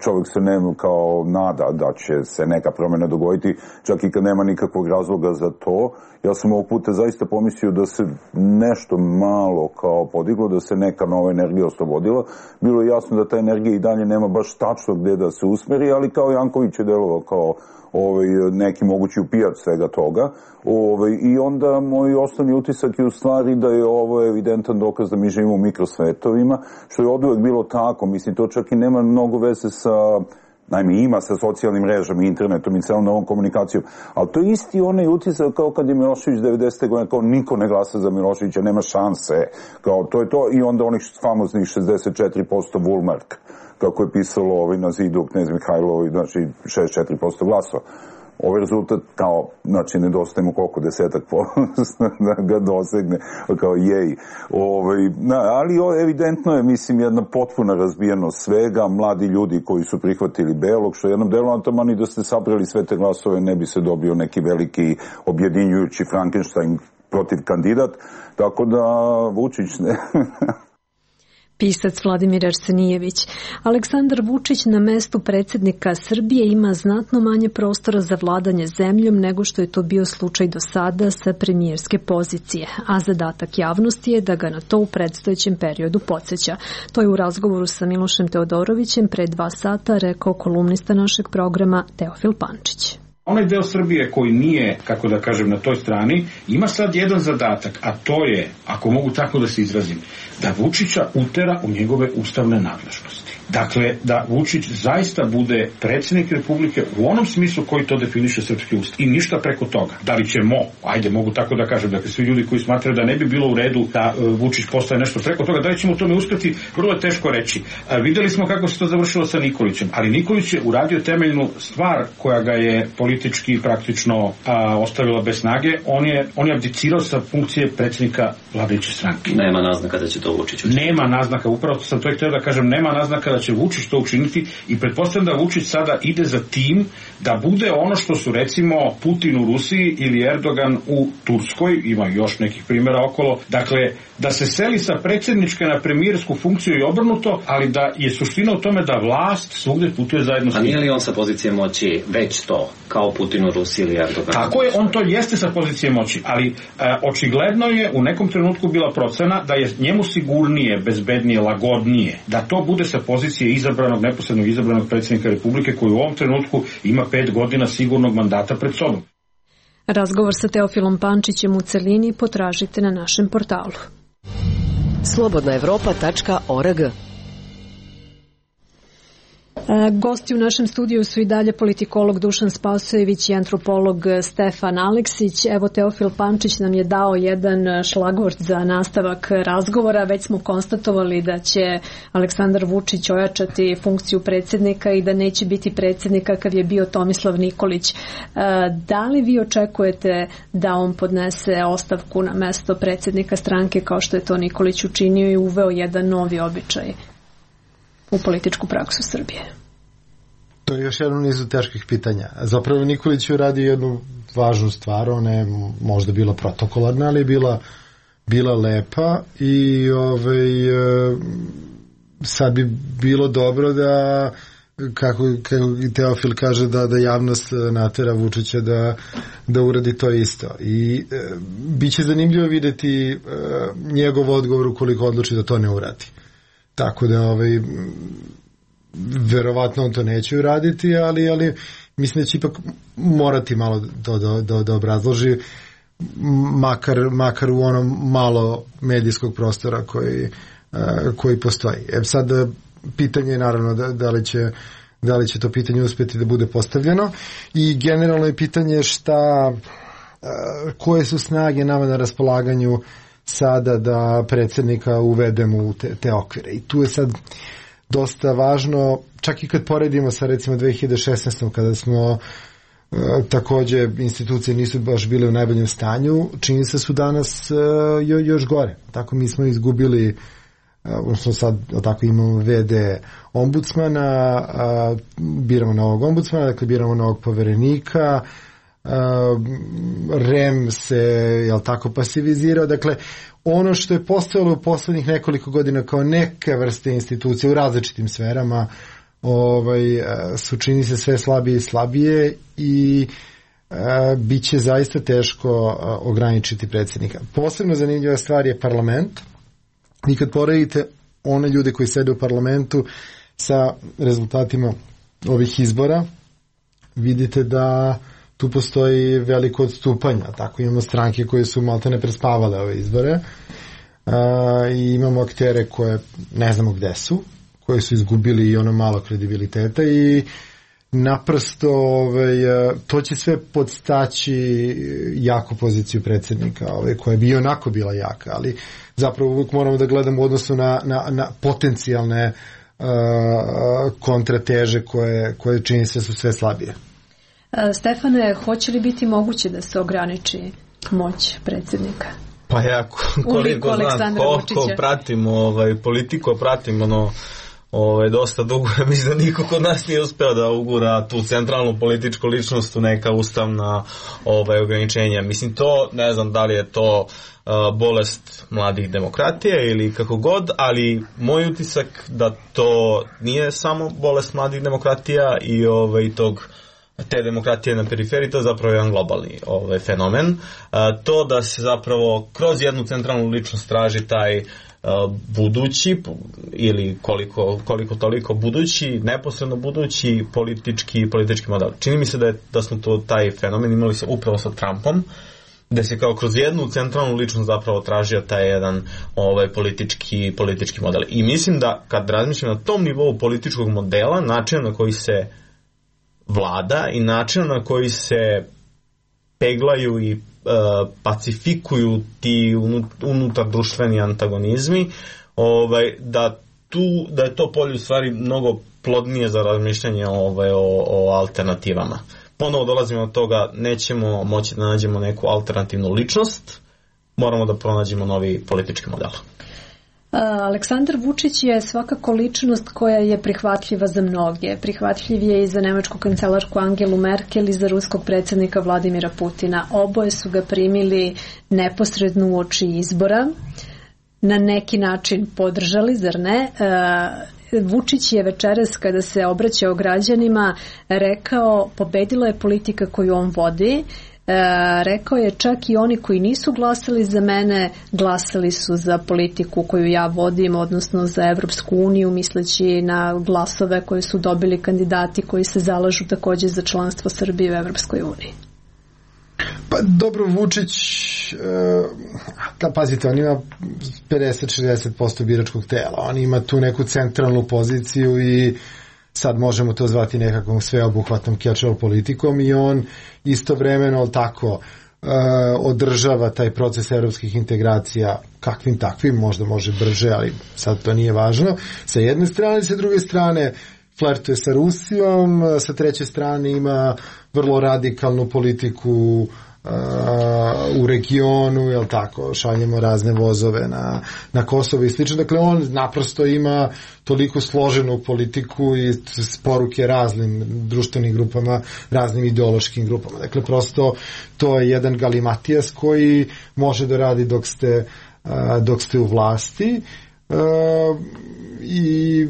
čovjek se ne kao nada da će se neka promjena dogoditi, čak i kad nema nikakvog razloga za to. Ja sam ovog puta zaista pomislio da se nešto malo kao podiglo, da se neka nova energija oslobodila. Bilo je jasno da ta energija i dalje nema baš tačno gde da se usmeri, ali kao Janković je delovao kao ovaj, neki mogući upijač svega toga. Ovaj, I onda moj osnovni utisak je u stvari da je ovo evidentan dokaz da mi živimo u mikrosvetovima, što je oduvek bilo tako. Mislim, to čak i nema mnogo veze sa, najme ima sa socijalnim mrežama, internetom i celom novom komunikacijom, ali to je isti onaj utisak kao kad je Milošević devedesete godine, kao niko ne glasa za Miloševića, nema šanse, kao to je to, i onda onih famoznih šezdeset četiri posto Vulmark, kako je pisalo ovaj na zidu knez Mihajlo, znači šezdeset četiri posto glasova. Ovaj rezultat kao, znači, nedostaje mu koliko desetak posto da ga dosegne, kao jej. Ovaj, na, ali o, evidentno je, mislim, jedna potpuna razbijenost svega, mladi ljudi koji su prihvatili belog, što jednom delu antamani da ste sabrali sve te glasove, ne bi se dobio neki veliki objedinjujući Frankenstein protiv kandidat, tako da Vučić ne... Pisac Vladimir Arsenijević. Aleksandar Vučić na mestu predsjednika Srbije ima znatno manje prostora za vladanje zemljom nego što je to bio slučaj do sada sa premijerske pozicije, a zadatak javnosti je da ga na to u predstojećem periodu podsjeća. To je u razgovoru sa Milošem Teodorovićem pre dva sata rekao kolumnista našeg programa Teofil Pančić. Onaj deo Srbije koji nije, kako da kažem, na toj strani, ima sad jedan zadatak, a to je, ako mogu tako da se izrazim, da Vučića utera u njegove ustavne nadležnosti. Dakle, da Vučić zaista bude predsjednik Republike u onom smislu koji to definiše srpski ustav i ništa preko toga. Da li ćemo, ajde, mogu tako da kažem, dakle, svi ljudi koji smatraju da ne bi bilo u redu da uh, Vučić postaje nešto preko toga, da li ćemo u tome uspeti, vrlo je teško reći. Uh, videli smo kako se to završilo sa Nikolićem, ali Nikolić je uradio temeljnu stvar koja ga je politički praktično uh, ostavila bez snage. On je, on je abdicirao sa funkcije predsjednika vladajuće stranke. Nema naznaka da će to Vučić učiniti. Nema naznaka, upravo sam to htio da kažem, nema naznaka da će Vučić to učiniti i pretpostavljam da Vučić sada ide za tim da bude ono što su recimo Putin u Rusiji ili Erdogan u Turskoj, ima još nekih primjera okolo, dakle da se seli sa predsjedničke na premijersku funkciju i obrnuto, ali da je suština u tome da vlast svugdje putuje zajedno s njim. A nije li on sa pozicije moći već to, kao Putin u Rusiji ili Erdogan? Tako je, on to jeste sa pozicije moći, ali e, očigledno je u nekom trenutku bila procena da je njemu sigurnije, bezbednije, lagodnije, da to bude sa pozicije izabranog, neposrednog izabranog predsjednika Republike koji u ovom trenutku ima pet godina sigurnog mandata pred sobom. Razgovor sa Teofilom Pančićem u celini potražite na našem portalu. slobodna evropa tačka org. Gosti u našem studiju su i dalje politikolog Dušan Spasojević i antropolog Stefan Aleksić. Evo, Teofil Pančić nam je dao jedan šlagvort za nastavak razgovora. Već smo konstatovali da će Aleksandar Vučić ojačati funkciju predsjednika i da neće biti predsjednika kad je bio Tomislav Nikolić. Da li vi očekujete da on podnese ostavku na mesto predsjednika stranke kao što je to Nikolić učinio i uveo jedan novi običaj u političku praksu Srbije? To je još jedno nizu teških pitanja. Zapravo Nikolić je radio jednu važnu stvar, ona je možda bila protokolarna, ali je bila, bila lepa i ovaj, sad bi bilo dobro da, kako, kako Teofil kaže, da, da javnost natera Vučića da, da uradi to isto. I e, bit će zanimljivo vidjeti e, njegov odgovor ukoliko odluči da to ne uradi. Tako da ovaj, verovatno on to neće uraditi, ali, ali mislim da će ipak morati malo to da, da, da obrazloži, makar, makar u onom malo medijskog prostora koji, koji postoji. E sad, pitanje je naravno da, da, li će, da li će to pitanje uspjeti da bude postavljeno i generalno je pitanje šta, koje su snage nama na raspolaganju sada da predsjednika uvedemo u te, te okvire. I tu je sad dosta važno, čak i kad poredimo sa recimo dve hiljade šesnaestom kada smo e, takođe institucije nisu baš bile u najboljem stanju, čini se su danas e, jo, još gore. Tako mi smo izgubili, e, odnosno sad tako imamo ve de ombudsmana, a, biramo novog ombudsmana, dakle biramo novog poverenika, Uh, REM se, jel tako, pasivizirao. Dakle, ono što je postojalo u poslednjih nekoliko godina kao neke vrste institucije u različitim sferama, ovaj, su čini se sve slabije i slabije i uh, bit će zaista teško uh, ograničiti predsjednika. Posebno zanimljiva stvar je parlament. I kad poredite one ljude koji sede u parlamentu sa rezultatima ovih izbora, vidite da tu postoji veliko odstupanje. Tako imamo stranke koje su maltene prespavale ove izbore uh, i imamo aktere koje ne znamo gde su, koje su izgubili i ono malo kredibiliteta i naprosto ovaj, to će sve podstaći jaku poziciju predsjednika, ovaj, koja bi onako bila jaka, ali zapravo uvijek moramo da gledamo u odnosu na, na, na potencijalne uh, kontrateže koje, koje čini se su sve slabije. Stefane, hoće li biti moguće da se ograniči moć predsjednika? Pa ja koliko znam, koliko pratim ovaj, politiku, pratim ono, ovaj, dosta dugo, mislim da niko kod nas nije uspeo da ugura tu centralnu političku ličnost u neka ustavna ovaj, ograničenja. Mislim to, ne znam da li je to uh, bolest mladih demokratije ili kako god, ali moj utisak da to nije samo bolest mladih demokratija i ovaj, tog te demokratije na periferiji, to je zapravo jedan globalni ovaj, fenomen. To da se zapravo kroz jednu centralnu ličnost traži taj budući ili koliko, koliko toliko budući, neposredno budući politički, politički model. Čini mi se da, je, da smo to taj fenomen imali se upravo sa Trumpom, da se kao kroz jednu centralnu ličnost zapravo tražio taj jedan ovaj, politički, politički model. I mislim da kad razmišljam na tom nivou političkog modela, način na koji se vlada i način na koji se peglaju i uh, pacifikuju ti unutar društveni antagonizmi, ovaj, da, tu, da je to polje u stvari mnogo plodnije za razmišljanje ovaj, o, o alternativama. Ponovo dolazimo do toga, nećemo moći da nađemo neku alternativnu ličnost, moramo da pronađemo novi politički model. Aleksandar Vučić je svakako ličnost koja je prihvatljiva za mnoge. Prihvatljiv je i za nemačku kancelarku Angelu Merkel i za ruskog predsjednika Vladimira Putina. Oboje su ga primili neposredno uoči izbora. Na neki način podržali, zar ne? Vučić je večeras kada se obraćao građanima rekao pobedila je politika koju on vodi. E, rekao je čak i oni koji nisu glasali za mene, glasali su za politiku koju ja vodim, odnosno za Evropsku uniju, misleći na glasove koje su dobili kandidati koji se zalažu također za članstvo Srbije u Evropskoj uniji. Pa dobro, Vučić, da, pazite, on ima pedeset do šezdeset posto biračkog tela, on ima tu neku centralnu poziciju i sad možemo to zvati nekakvom sveobuhvatnom catch-all politikom i on istovremeno tako uh, održava taj proces evropskih integracija kakvim takvim, možda može brže, ali sad to nije važno. Sa jedne strane, sa druge strane flertuje sa Rusijom, sa treće strane ima vrlo radikalnu politiku u regionu, jel tako, šaljemo razne vozove na, na Kosovo i slično. Dakle, on naprosto ima toliko složenu politiku i poruke raznim društvenim grupama, raznim ideološkim grupama. Dakle, prosto to je jedan galimatijas koji može da radi dok ste, dok ste u vlasti. Uh, i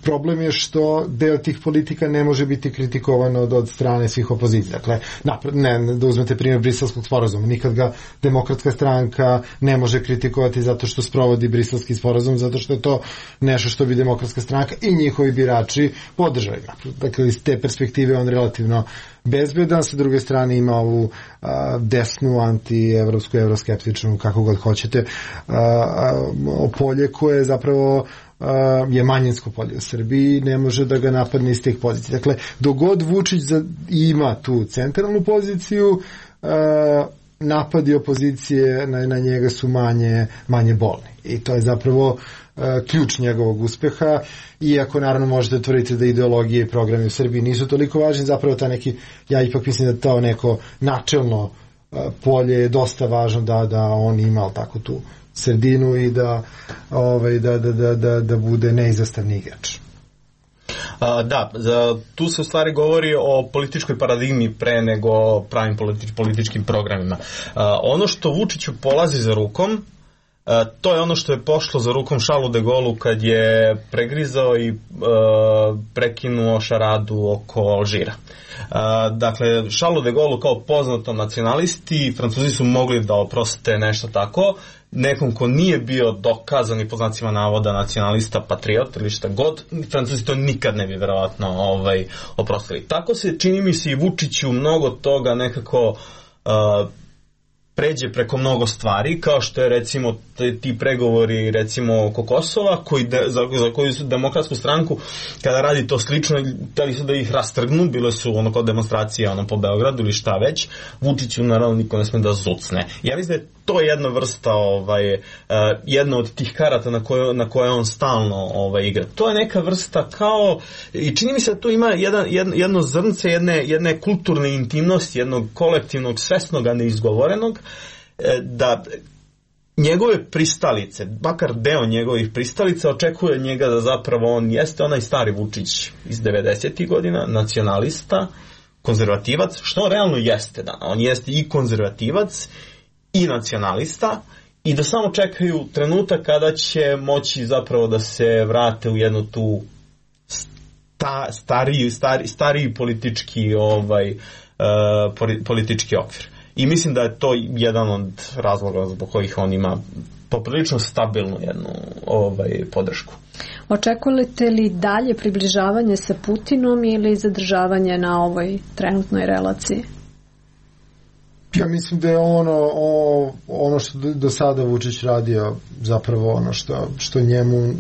problem je što deo tih politika ne može biti kritikovan od, od strane svih opozicija. Dakle, napred, ne, da uzmete primjer Briselskog sporazuma, nikad ga Demokratska stranka ne može kritikovati zato što sprovodi Briselski sporazum, zato što je to nešto što bi Demokratska stranka i njihovi birači podržali. Dakle, iz te perspektive on relativno bezbedan, sa druge strane ima ovu a, desnu, anti-evropsku, evroskeptičnu, kako god hoćete, a, a, polje koje zapravo a, je manjinsko polje u Srbiji, ne može da ga napadne iz tih pozicija. Dakle, dogod Vučić za, ima tu centralnu poziciju, a, napadi opozicije na, na njega su manje, manje bolni. I to je zapravo ključ njegovog uspeha, iako naravno možete tvrditi da ideologije i programi u Srbiji nisu toliko važni, zapravo ta neki, ja ipak mislim da to neko načelno polje je dosta važno da, da on ima tako tu sredinu i da, ovaj, da, da, da, da, da bude neizostavni igrač. A, da, za, tu se u stvari govori o političkoj paradigmi pre nego pravim politič, političkim programima. A, ono što Vučiću polazi za rukom, Uh, to je ono što je pošlo za rukom Charlesu de Gaullu kad je pregrizao i uh, prekinuo šaradu oko Alžira. Uh, dakle, Charlesu de Gaullu kao poznatom nacionalisti, Francuzi su mogli da oproste nešto tako, nekom ko nije bio dokazan i po znacima navoda nacionalista, patriot ili šta god, Francuzi to nikad ne bi verovatno ovaj, oprostili. Tako se, čini mi se, i Vučiću mnogo toga nekako uh, pređe preko mnogo stvari, kao što je recimo ti pregovori recimo oko Kosova, koji de, za, za koju su Demokratsku stranku, kada radi to slično, hteli su da ih rastrgnu, bile su ono kao demonstracije ono, po Beogradu ili šta već, Vučiću naravno niko ne sme da zucne. Ja mislim da je to jedna vrsta, ovaj, uh, jedna od tih karata na koje, na koje on stalno ovaj, igra. To je neka vrsta kao, i čini mi se da tu ima jedan, jedno, jedno zrnce jedne, jedne kulturne intimnosti, jednog kolektivnog, svesnog, a neizgovorenog, da njegove pristalice, makar deo njegovih pristalica očekuje njega da zapravo on jeste onaj stari Vučić iz devedesetih godina, nacionalista, konzervativac, što realno jeste, da, on jeste i konzervativac i nacionalista i da samo čekaju trenutak kada će moći zapravo da se vrate u jednu tu sta, stariji, stari, stariji politički ovaj uh, politički okvir. I mislim da je to jedan od razloga zbog kojih on ima poprilično stabilnu jednu ovaj, podršku. Očekujete li dalje približavanje sa Putinom ili zadržavanje na ovoj trenutnoj relaciji? Ja mislim da je ono o, ono što do sada Vučić radio zapravo ono što, što njemu uh,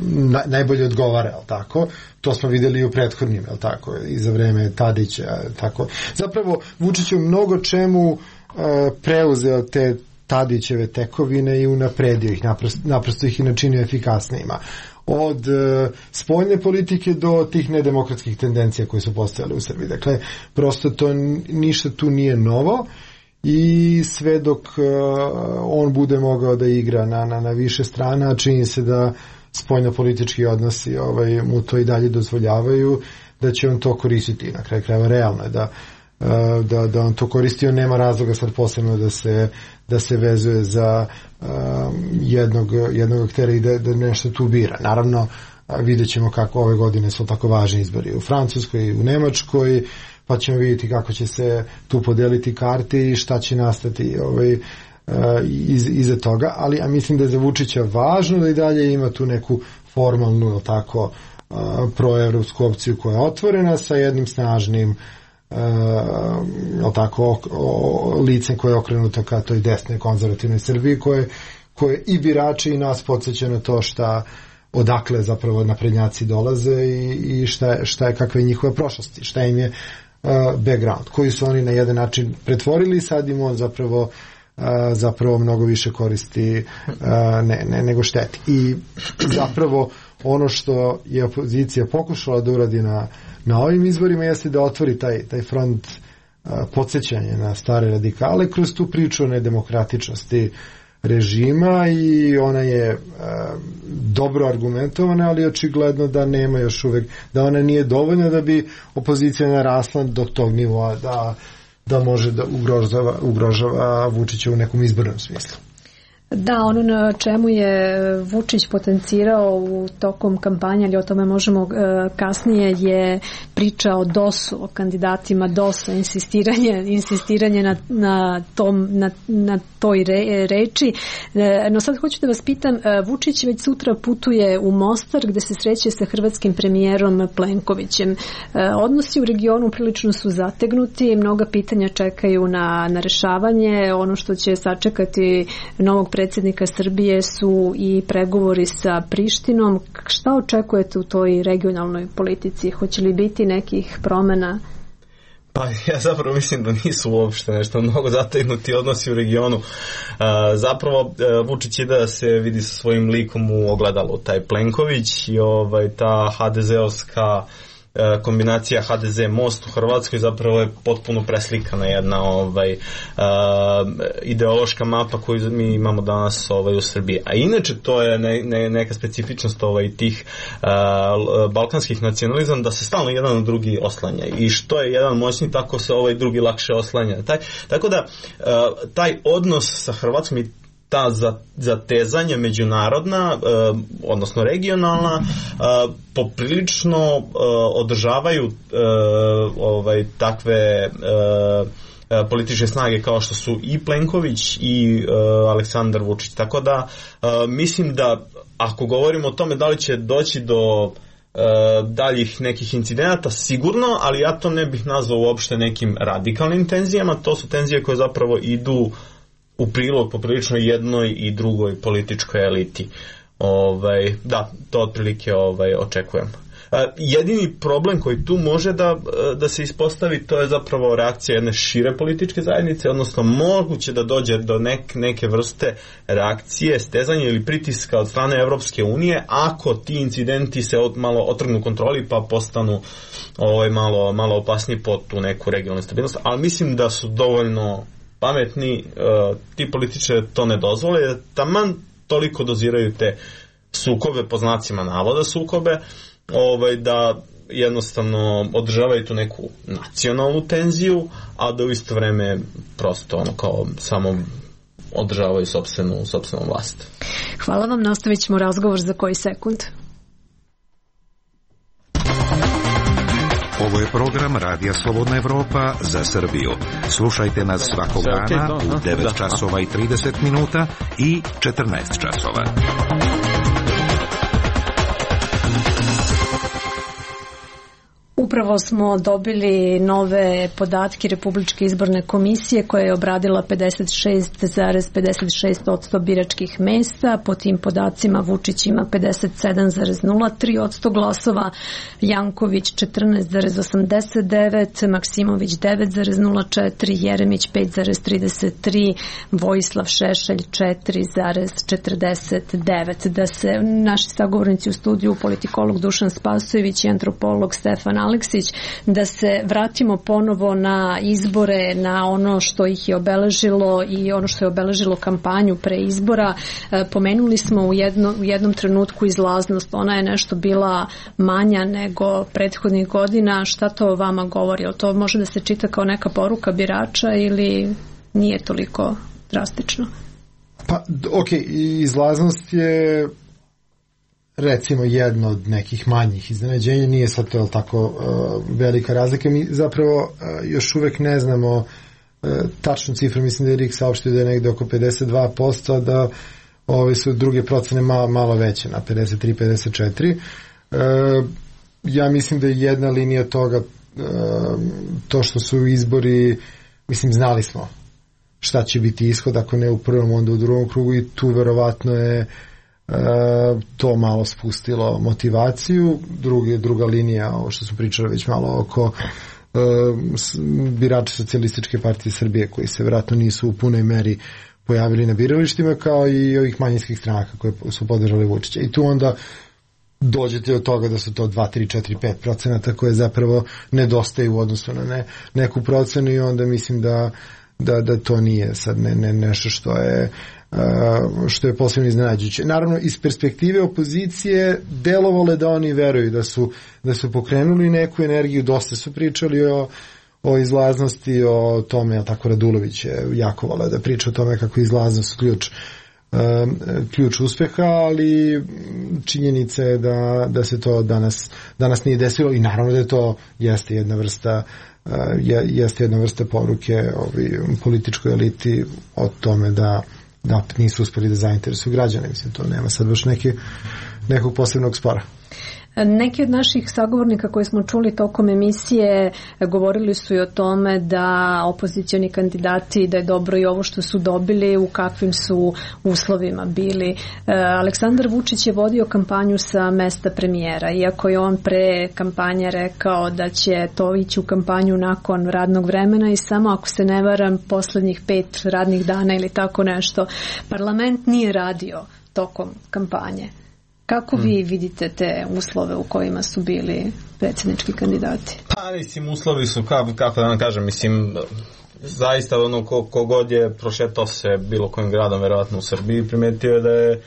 na, najbolje odgovara, jel tako? To smo vidjeli i u prethodnim, jel tako? I za vreme Tadića, tako. Zapravo Vučić je mnogo čemu uh, preuzeo te Tadićeve tekovine i unapredio ih, naprosto, naprosto ih i načinio efikasnijima. Od uh, spoljne politike do tih nedemokratskih tendencija koje su postojale u Srbiji. Dakle, prosto to ništa tu nije novo i sve dok uh, on bude mogao da igra na, na, na više strana, čini se da spoljno politički odnosi ovaj, mu to i dalje dozvoljavaju, da će on to koristiti. Na kraju krajeva realno je da Da, da on to koristio, nema razloga sad posebno da se, da se vezuje za um, jednog, jednog aktera i da, da nešto tu bira. Naravno, vidjet ćemo kako ove godine su tako važni izbori u Francuskoj i u Nemačkoj, pa ćemo vidjeti kako će se tu podeliti karte i šta će nastati ovaj, uh, iz, iza toga, ali ja mislim da je za Vučića važno da i dalje ima tu neku formalnu, tako, uh, proevropsku opciju koja je otvorena sa jednim snažnim Uh, tako, o, o, licem koje je okrenuto ka toj desnoj konzervativnoj Srbiji koje, koje i birači i nas podsjeća na to šta odakle zapravo naprednjaci dolaze i, i šta, šta je, kakva je njihova prošlost, šta im je uh, background, koji su oni na jedan način pretvorili i sad im on zapravo uh, zapravo mnogo više koristi uh, ne, ne, nego šteti. I zapravo ono što je opozicija pokušala da uradi na na ovim izborima jeste da otvori taj, taj front uh, podsjećanja na stare radikale kroz tu priču o nedemokratičnosti režima i ona je uh, dobro argumentovana, ali očigledno da nema još uvek, da ona nije dovoljna da bi opozicija narasla do tog nivoa da, da može da ugrožava, ugrožava Vučića u nekom izbornom smislu. Da, ono na čemu je Vučić potencirao u tokom kampanje, ali o tome možemo uh, kasnije, je priča o dosu, o kandidatima dosa, insistiranje, insistiranje na, na, tom, na, na toj re, reči. E, no sad hoću da vas pitam, Vučić već sutra putuje u Mostar gde se sreće sa hrvatskim premijerom Plenkovićem. E, odnosi u regionu prilično su zategnuti, mnoga pitanja čekaju na, na rešavanje. Ono što će sačekati novog predsjednika Srbije su i pregovori sa Prištinom. Šta očekujete u toj regionalnoj politici? Hoće li biti nekih promjena? Pa ja zapravo mislim da nisu uopšte nešto mnogo zategnuti odnosi u regionu. Zapravo Vučić je da se vidi sa svojim likom u ogledalu, taj Plenković i ovaj, ta ha de zeovska kombinacija ha de ze Most u Hrvatskoj zapravo je potpuno preslikana jedna ovaj, uh, ideološka mapa koju mi imamo danas ovaj, u Srbiji. A inače to je ne, ne, neka specifičnost ovaj, tih uh, balkanskih nacionalizam da se stalno jedan na drugi oslanja i što je jedan moćni tako se ovaj drugi lakše oslanja. Taj, tako da uh, taj odnos sa Hrvatskom i ta zatezanja međunarodna, eh, odnosno regionalna, eh, poprilično eh, održavaju eh, ovaj, takve eh, političke snage kao što su i Plenković i eh, Aleksandar Vučić. Tako da eh, mislim da ako govorimo o tome da li će doći do eh, daljih nekih incidenata, sigurno, ali ja to ne bih nazvao uopšte nekim radikalnim tenzijama. To su tenzije koje zapravo idu u prilog poprilično jednoj i drugoj političkoj eliti. Ovaj, da, to otprilike ovaj, očekujem. Jedini problem koji tu može da, da se ispostavi, to je zapravo reakcija jedne šire političke zajednice, odnosno moguće da dođe do nek, neke vrste reakcije, stezanja ili pritiska od strane Evropske unije, ako ti incidenti se od, malo otrgnu kontroli pa postanu ovaj, malo, malo opasniji po tu neku regionalnu stabilnost, ali mislim da su dovoljno pametni, uh, ti političari to ne dozvole, taman toliko doziraju te sukobe, po znacima navoda sukobe, ovaj, da jednostavno održavaju tu neku nacionalnu tenziju, a da u isto vreme prosto ono kao samo održavaju sopstvenu, sopstvenu vlast. Hvala vam, nastavit ćemo razgovor za koji sekund. Ovo je program Radija Slobodna Evropa za Srbiju. Slušajte nas svakog dana u devet časova i trideset minuta i četrnaest časova. Upravo smo dobili nove podatke Republičke izborne komisije koja je obradila pedeset šest zarez pedeset šest posto biračkih mesta. Po tim podacima Vučić ima pedeset sedam zarez nula tri posto glasova, Janković četrnaest zarez osamdeset devet, Maksimović devet zarez nula četiri, Jeremić pet zarez trideset tri, Vojislav Šešelj četiri zarez četrdeset devet. Da se naši sagovornici u studiju, politikolog Dušan Spasojević i antropolog Stefan Aleksić, da se vratimo ponovo na izbore, na ono što ih je obeležilo i ono što je obeležilo kampanju pre izbora. Pomenuli smo u, jedno, u jednom trenutku izlaznost, ona je nešto bila manja nego prethodnih godina. Šta to vama govori? Jel to može da se čita kao neka poruka birača ili nije toliko drastično? Pa, ok, izlaznost je recimo jedno od nekih manjih iznenađenja, nije sad to tako uh, velika razlika. Mi zapravo uh, još uvek ne znamo uh, tačnu cifru, mislim da je R I K saopštio da je negde oko pedeset dva posto, da ove su druge procene malo, malo veće, na pedeset tri pedeset četiri. Uh, ja mislim da je jedna linija toga uh, to što su izbori, mislim, znali smo šta će biti ishod, ako ne u prvom, onda u drugom krugu, i tu verovatno je E, to malo spustilo motivaciju. Drugi, druga linija, ovo što su pričali već malo oko e, birača Socijalističke partije Srbije, koji se vjerojatno nisu u punoj meri pojavili na biralištima, kao i ovih manjinskih stranaka koje su podržali Vučića. I tu onda dođete od toga da su to dva, tri, četiri, pet procenata koje zapravo nedostaju u odnosu na ne, neku procenu, i onda mislim da, da, da to nije sad ne, ne, nešto što je što je posebno iznenađujuće. Naravno, iz perspektive opozicije delovalo je da oni veruju da su, da su pokrenuli neku energiju, dosta su pričali o, o izlaznosti, o tome, a tako Radulović je jako voleo da priča o tome kako je izlaznost ključ, um, ključ uspeha, ali činjenica je da, da se to danas, danas nije desilo, i naravno da je to jeste jedna vrsta uh, jeste jedna vrsta poruke ovi političkoj eliti o tome da da nisu uspeli da zainteresuju građane. Mislim, to nema sad baš neki, nekog posebnog spora. Neki od naših sagovornika koji smo čuli tokom emisije govorili su i o tome da opozicioni kandidati, da je dobro i ovo što su dobili, u kakvim su uslovima bili. Aleksandar Vučić je vodio kampanju sa mesta premijera, iako je on pre kampanje rekao da će to ići u kampanju nakon radnog vremena i samo, ako se ne varam, poslednjih pet radnih dana ili tako nešto. Parlament nije radio tokom kampanje. Kako vi vidite te uslove u kojima su bili predsjednički kandidati? Pa, mislim, uslovi su, kako, kako da vam kažem, mislim, zaista ono, ko, kogod je prošetao se bilo kojim gradom, verovatno u Srbiji, primetio je da je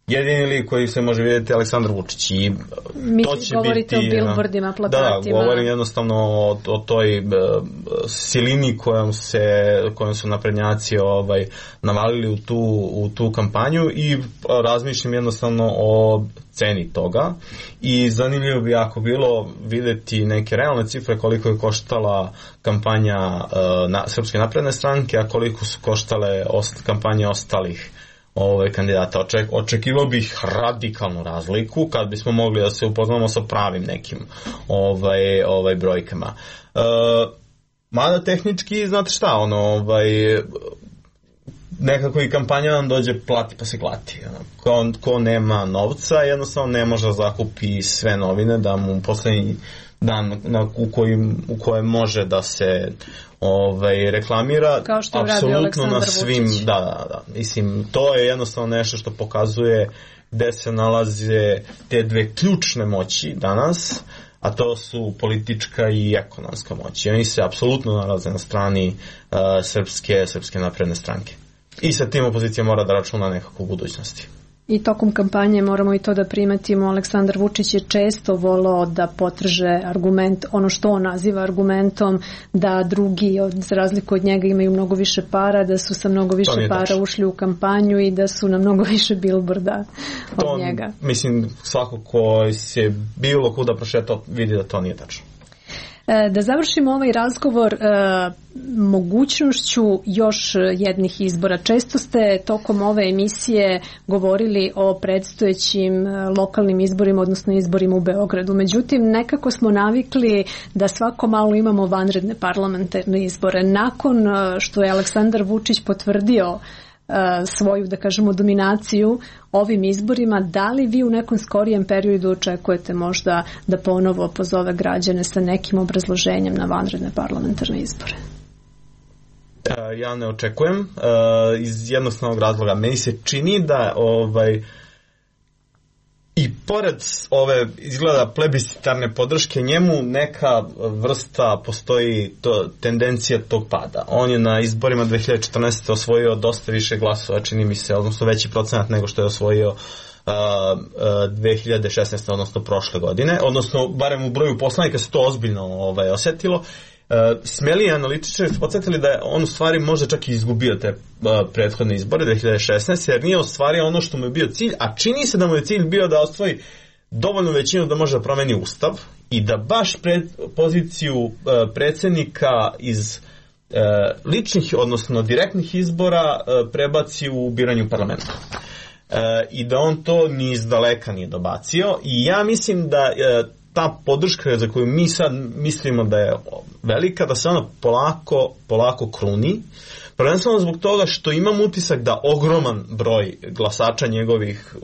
jedini lik koji se može vidjeti Aleksandar Vučić. I mi to će govorite biti, o bilbordima, plakatima. Da, govorim jednostavno o, o toj uh, silini kojom, se, kojom su naprednjaci ovaj, navalili u tu, u tu kampanju, i razmišljam jednostavno o ceni toga, i zanimljivo bi jako bilo vidjeti neke realne cifre koliko je koštala kampanja uh, na, Srpske napredne stranke, a koliko su koštale ost, kampanje ostalih Ove kandidata. Oček, očekivao bih radikalnu razliku kad bismo mogli da se upoznamo sa pravim nekim ovaj, ovaj brojkama. E, mada tehnički, znate šta, ono, ovaj, nekako i kampanja nam dođe plati pa se klati. Ko, ko nema novca jednostavno ne može da zakupi sve novine, da mu poslednji dan na, u, kojim, u kojem može da se ovaj, reklamira apsolutno na svim, da, da, da. Mislim, to je jednostavno nešto što pokazuje gde se nalaze te dve ključne moći danas, a to su politička i ekonomska moć. I oni se apsolutno nalaze na strani uh, srpske, srpske napredne stranke. I sa tim opozicija mora da računa nekako u budućnosti. I tokom kampanje moramo i to da primetimo, Aleksandar Vučić je često volao da potrže argument, ono što on naziva argumentom, da drugi, od, za razliku od njega, imaju mnogo više para, da su sa mnogo više para tačno ušli u kampanju i da su na mnogo više bilborda od to, njega. Mislim, svako ko se bilo kuda prošetao vidi da to nije tačno. Da završimo ovaj razgovor mogućnošću još jednih izbora. Često ste tokom ove emisije govorili o predstojećim lokalnim izborima, odnosno izborima u Beogradu. Međutim, nekako smo navikli da svako malo imamo vanredne parlamentarne izbore. Nakon što je Aleksandar Vučić potvrdio svoju, da kažemo, dominaciju ovim izborima, da li vi u nekom skorijem periodu očekujete možda da ponovo pozove građane sa nekim obrazloženjem na vanredne parlamentarne izbore? Ja ne očekujem iz jednostavnog razloga. Meni se čini da ovaj i pored ove izgleda plebiscitarne podrške njemu neka vrsta postoji to, tendencija tog pada. On je na izborima dve hiljade četrnaeste. osvojio dosta više glasova, čini mi se, odnosno veći procenat nego što je osvojio uh, uh, dve hiljade šesnaeste. odnosno prošle godine, odnosno barem u broju poslanika se to ozbiljno ovaj, osjetilo. Uh, smeli analitičari su podsjetili da je on u stvari možda čak i izgubio te uh, prethodne izbore dve hiljade šesnaeste. jer nije ostvario ono što mu je bio cilj, a čini se da mu je cilj bio da ostvari dovoljnu većinu da može da promeni ustav i da baš pred, poziciju uh, predsjednika iz uh, ličnih, odnosno direktnih izbora uh, prebaci u biranju parlamenta. Uh, I da on to ni iz daleka nije dobacio i ja mislim da uh, ta podrška za koju mi sad mislimo da je velika, da se ona polako, polako kruni. Prvenstveno zbog toga što imam utisak da ogroman broj glasača njegovih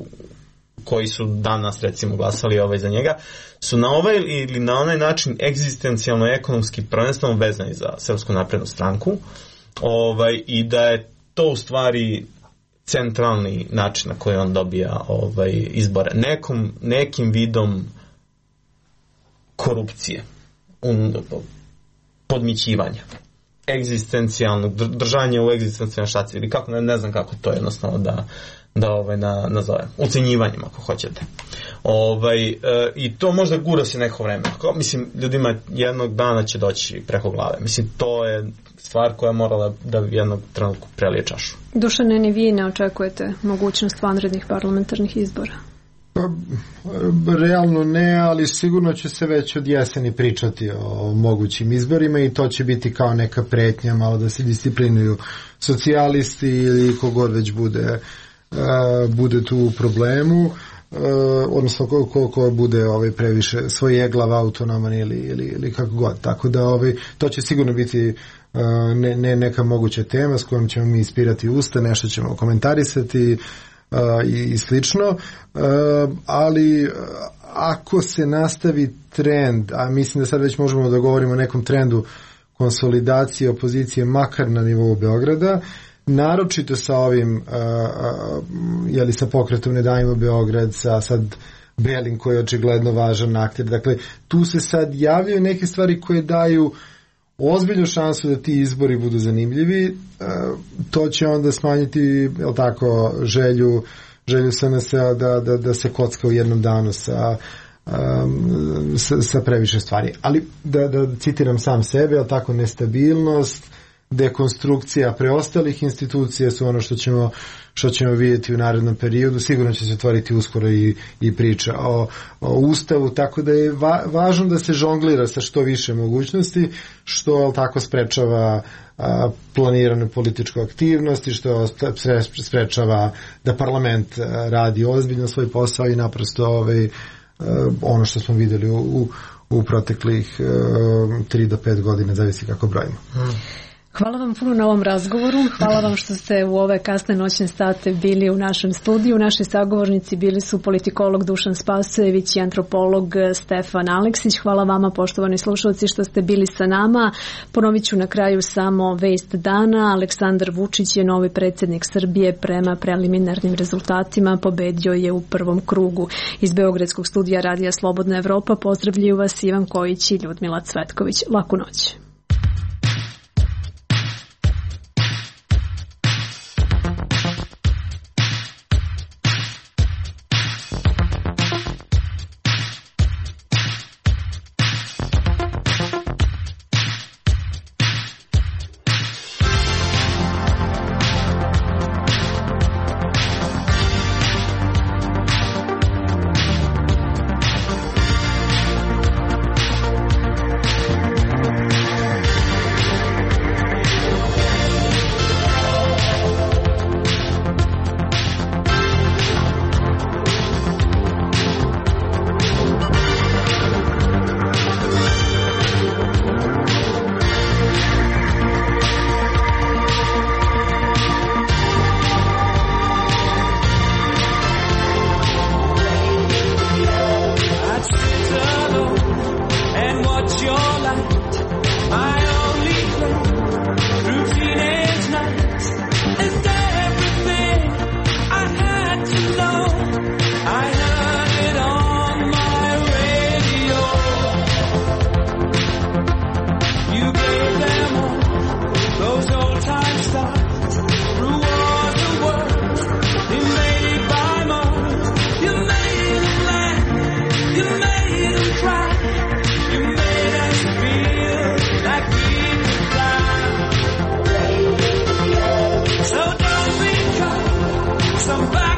koji su danas recimo glasali ovaj za njega su na ovaj ili na onaj način egzistencijalno ekonomski prvenstveno vezani za Srpsku naprednu stranku ovaj, i da je to u stvari centralni način na koji on dobija ovaj, izbore. Nekom, nekim vidom korupcije, un, podmićivanja, egzistencijalnog, držanje u egzistencijalnoj štaci, ili kako, ne, ne znam kako to jednostavno da, da ovaj, na, nazovem, ucenjivanjem ako hoćete. Ovaj, e, I to možda gura se neko vreme. Ko, mislim, ljudima jednog dana će doći preko glave. Mislim, to je stvar koja je morala da jednog trenutku prelije čašu. Dušane, ni vi ne očekujete mogućnost vanrednih parlamentarnih izbora? Pa, realno ne, ali sigurno će se već od jeseni pričati o mogućim izborima i to će biti kao neka pretnja, malo da se disciplinuju socijalisti ili kogod već bude, uh, bude tu u problemu, uh, odnosno ko, ko, ko bude ovaj, previše svoj eglav autonoman ili, ili, ili kako god. Tako da ovaj, to će sigurno biti uh, ne, ne neka moguća tema s kojom ćemo mi ispirati usta, nešto ćemo komentarisati, Uh, i, i slično, uh, ali uh, ako se nastavi trend, a mislim da sad već možemo da govorimo o nekom trendu konsolidacije opozicije makar na nivou Beograda, naročito sa ovim uh, uh, jeli sa pokretom Ne davimo Beograd, sa sad Belim koji je očigledno važan akter, dakle tu se sad javljaju neke stvari koje daju ozbiljnu šansu da ti izbori budu zanimljivi. To će onda smanjiti, jel tako, želju želju S N S-a da, da, da se kocka u jednom danu sa, um, sa, sa previše stvari. Ali da, da citiram sam sebe, jel tako, nestabilnost, dekonstrukcija preostalih institucija su ono što ćemo što ćemo vidjeti u narednom periodu. Sigurno će se otvoriti uskoro i, i priča o, o Ustavu, tako da je va, važno da se žonglira sa što više mogućnosti, što tako sprečava a, planiranu političku aktivnost i što sprečava da parlament radi ozbiljno svoj posao i naprosto ovaj, a, ono što smo vidjeli u, u, u proteklih tri do pet godina, zavisi kako brojimo. Hmm. Hvala vam puno na ovom razgovoru. Hvala vam što ste u ove kasne noćne sate bili u našem studiju. Naši sagovornici bili su politikolog Dušan Spasojević i antropolog Stefan Aleksić. Hvala vama, poštovani slušalci, što ste bili sa nama. Ponovit ću na kraju samo vest dana. Aleksandar Vučić je novi predsjednik Srbije. Prema preliminarnim rezultatima pobedio je u prvom krugu. Iz Beogradskog studija Radija Slobodna Evropa pozdravljaju vas Ivan Kojić i Ljudmila Cvetković. Laku noć. somebody.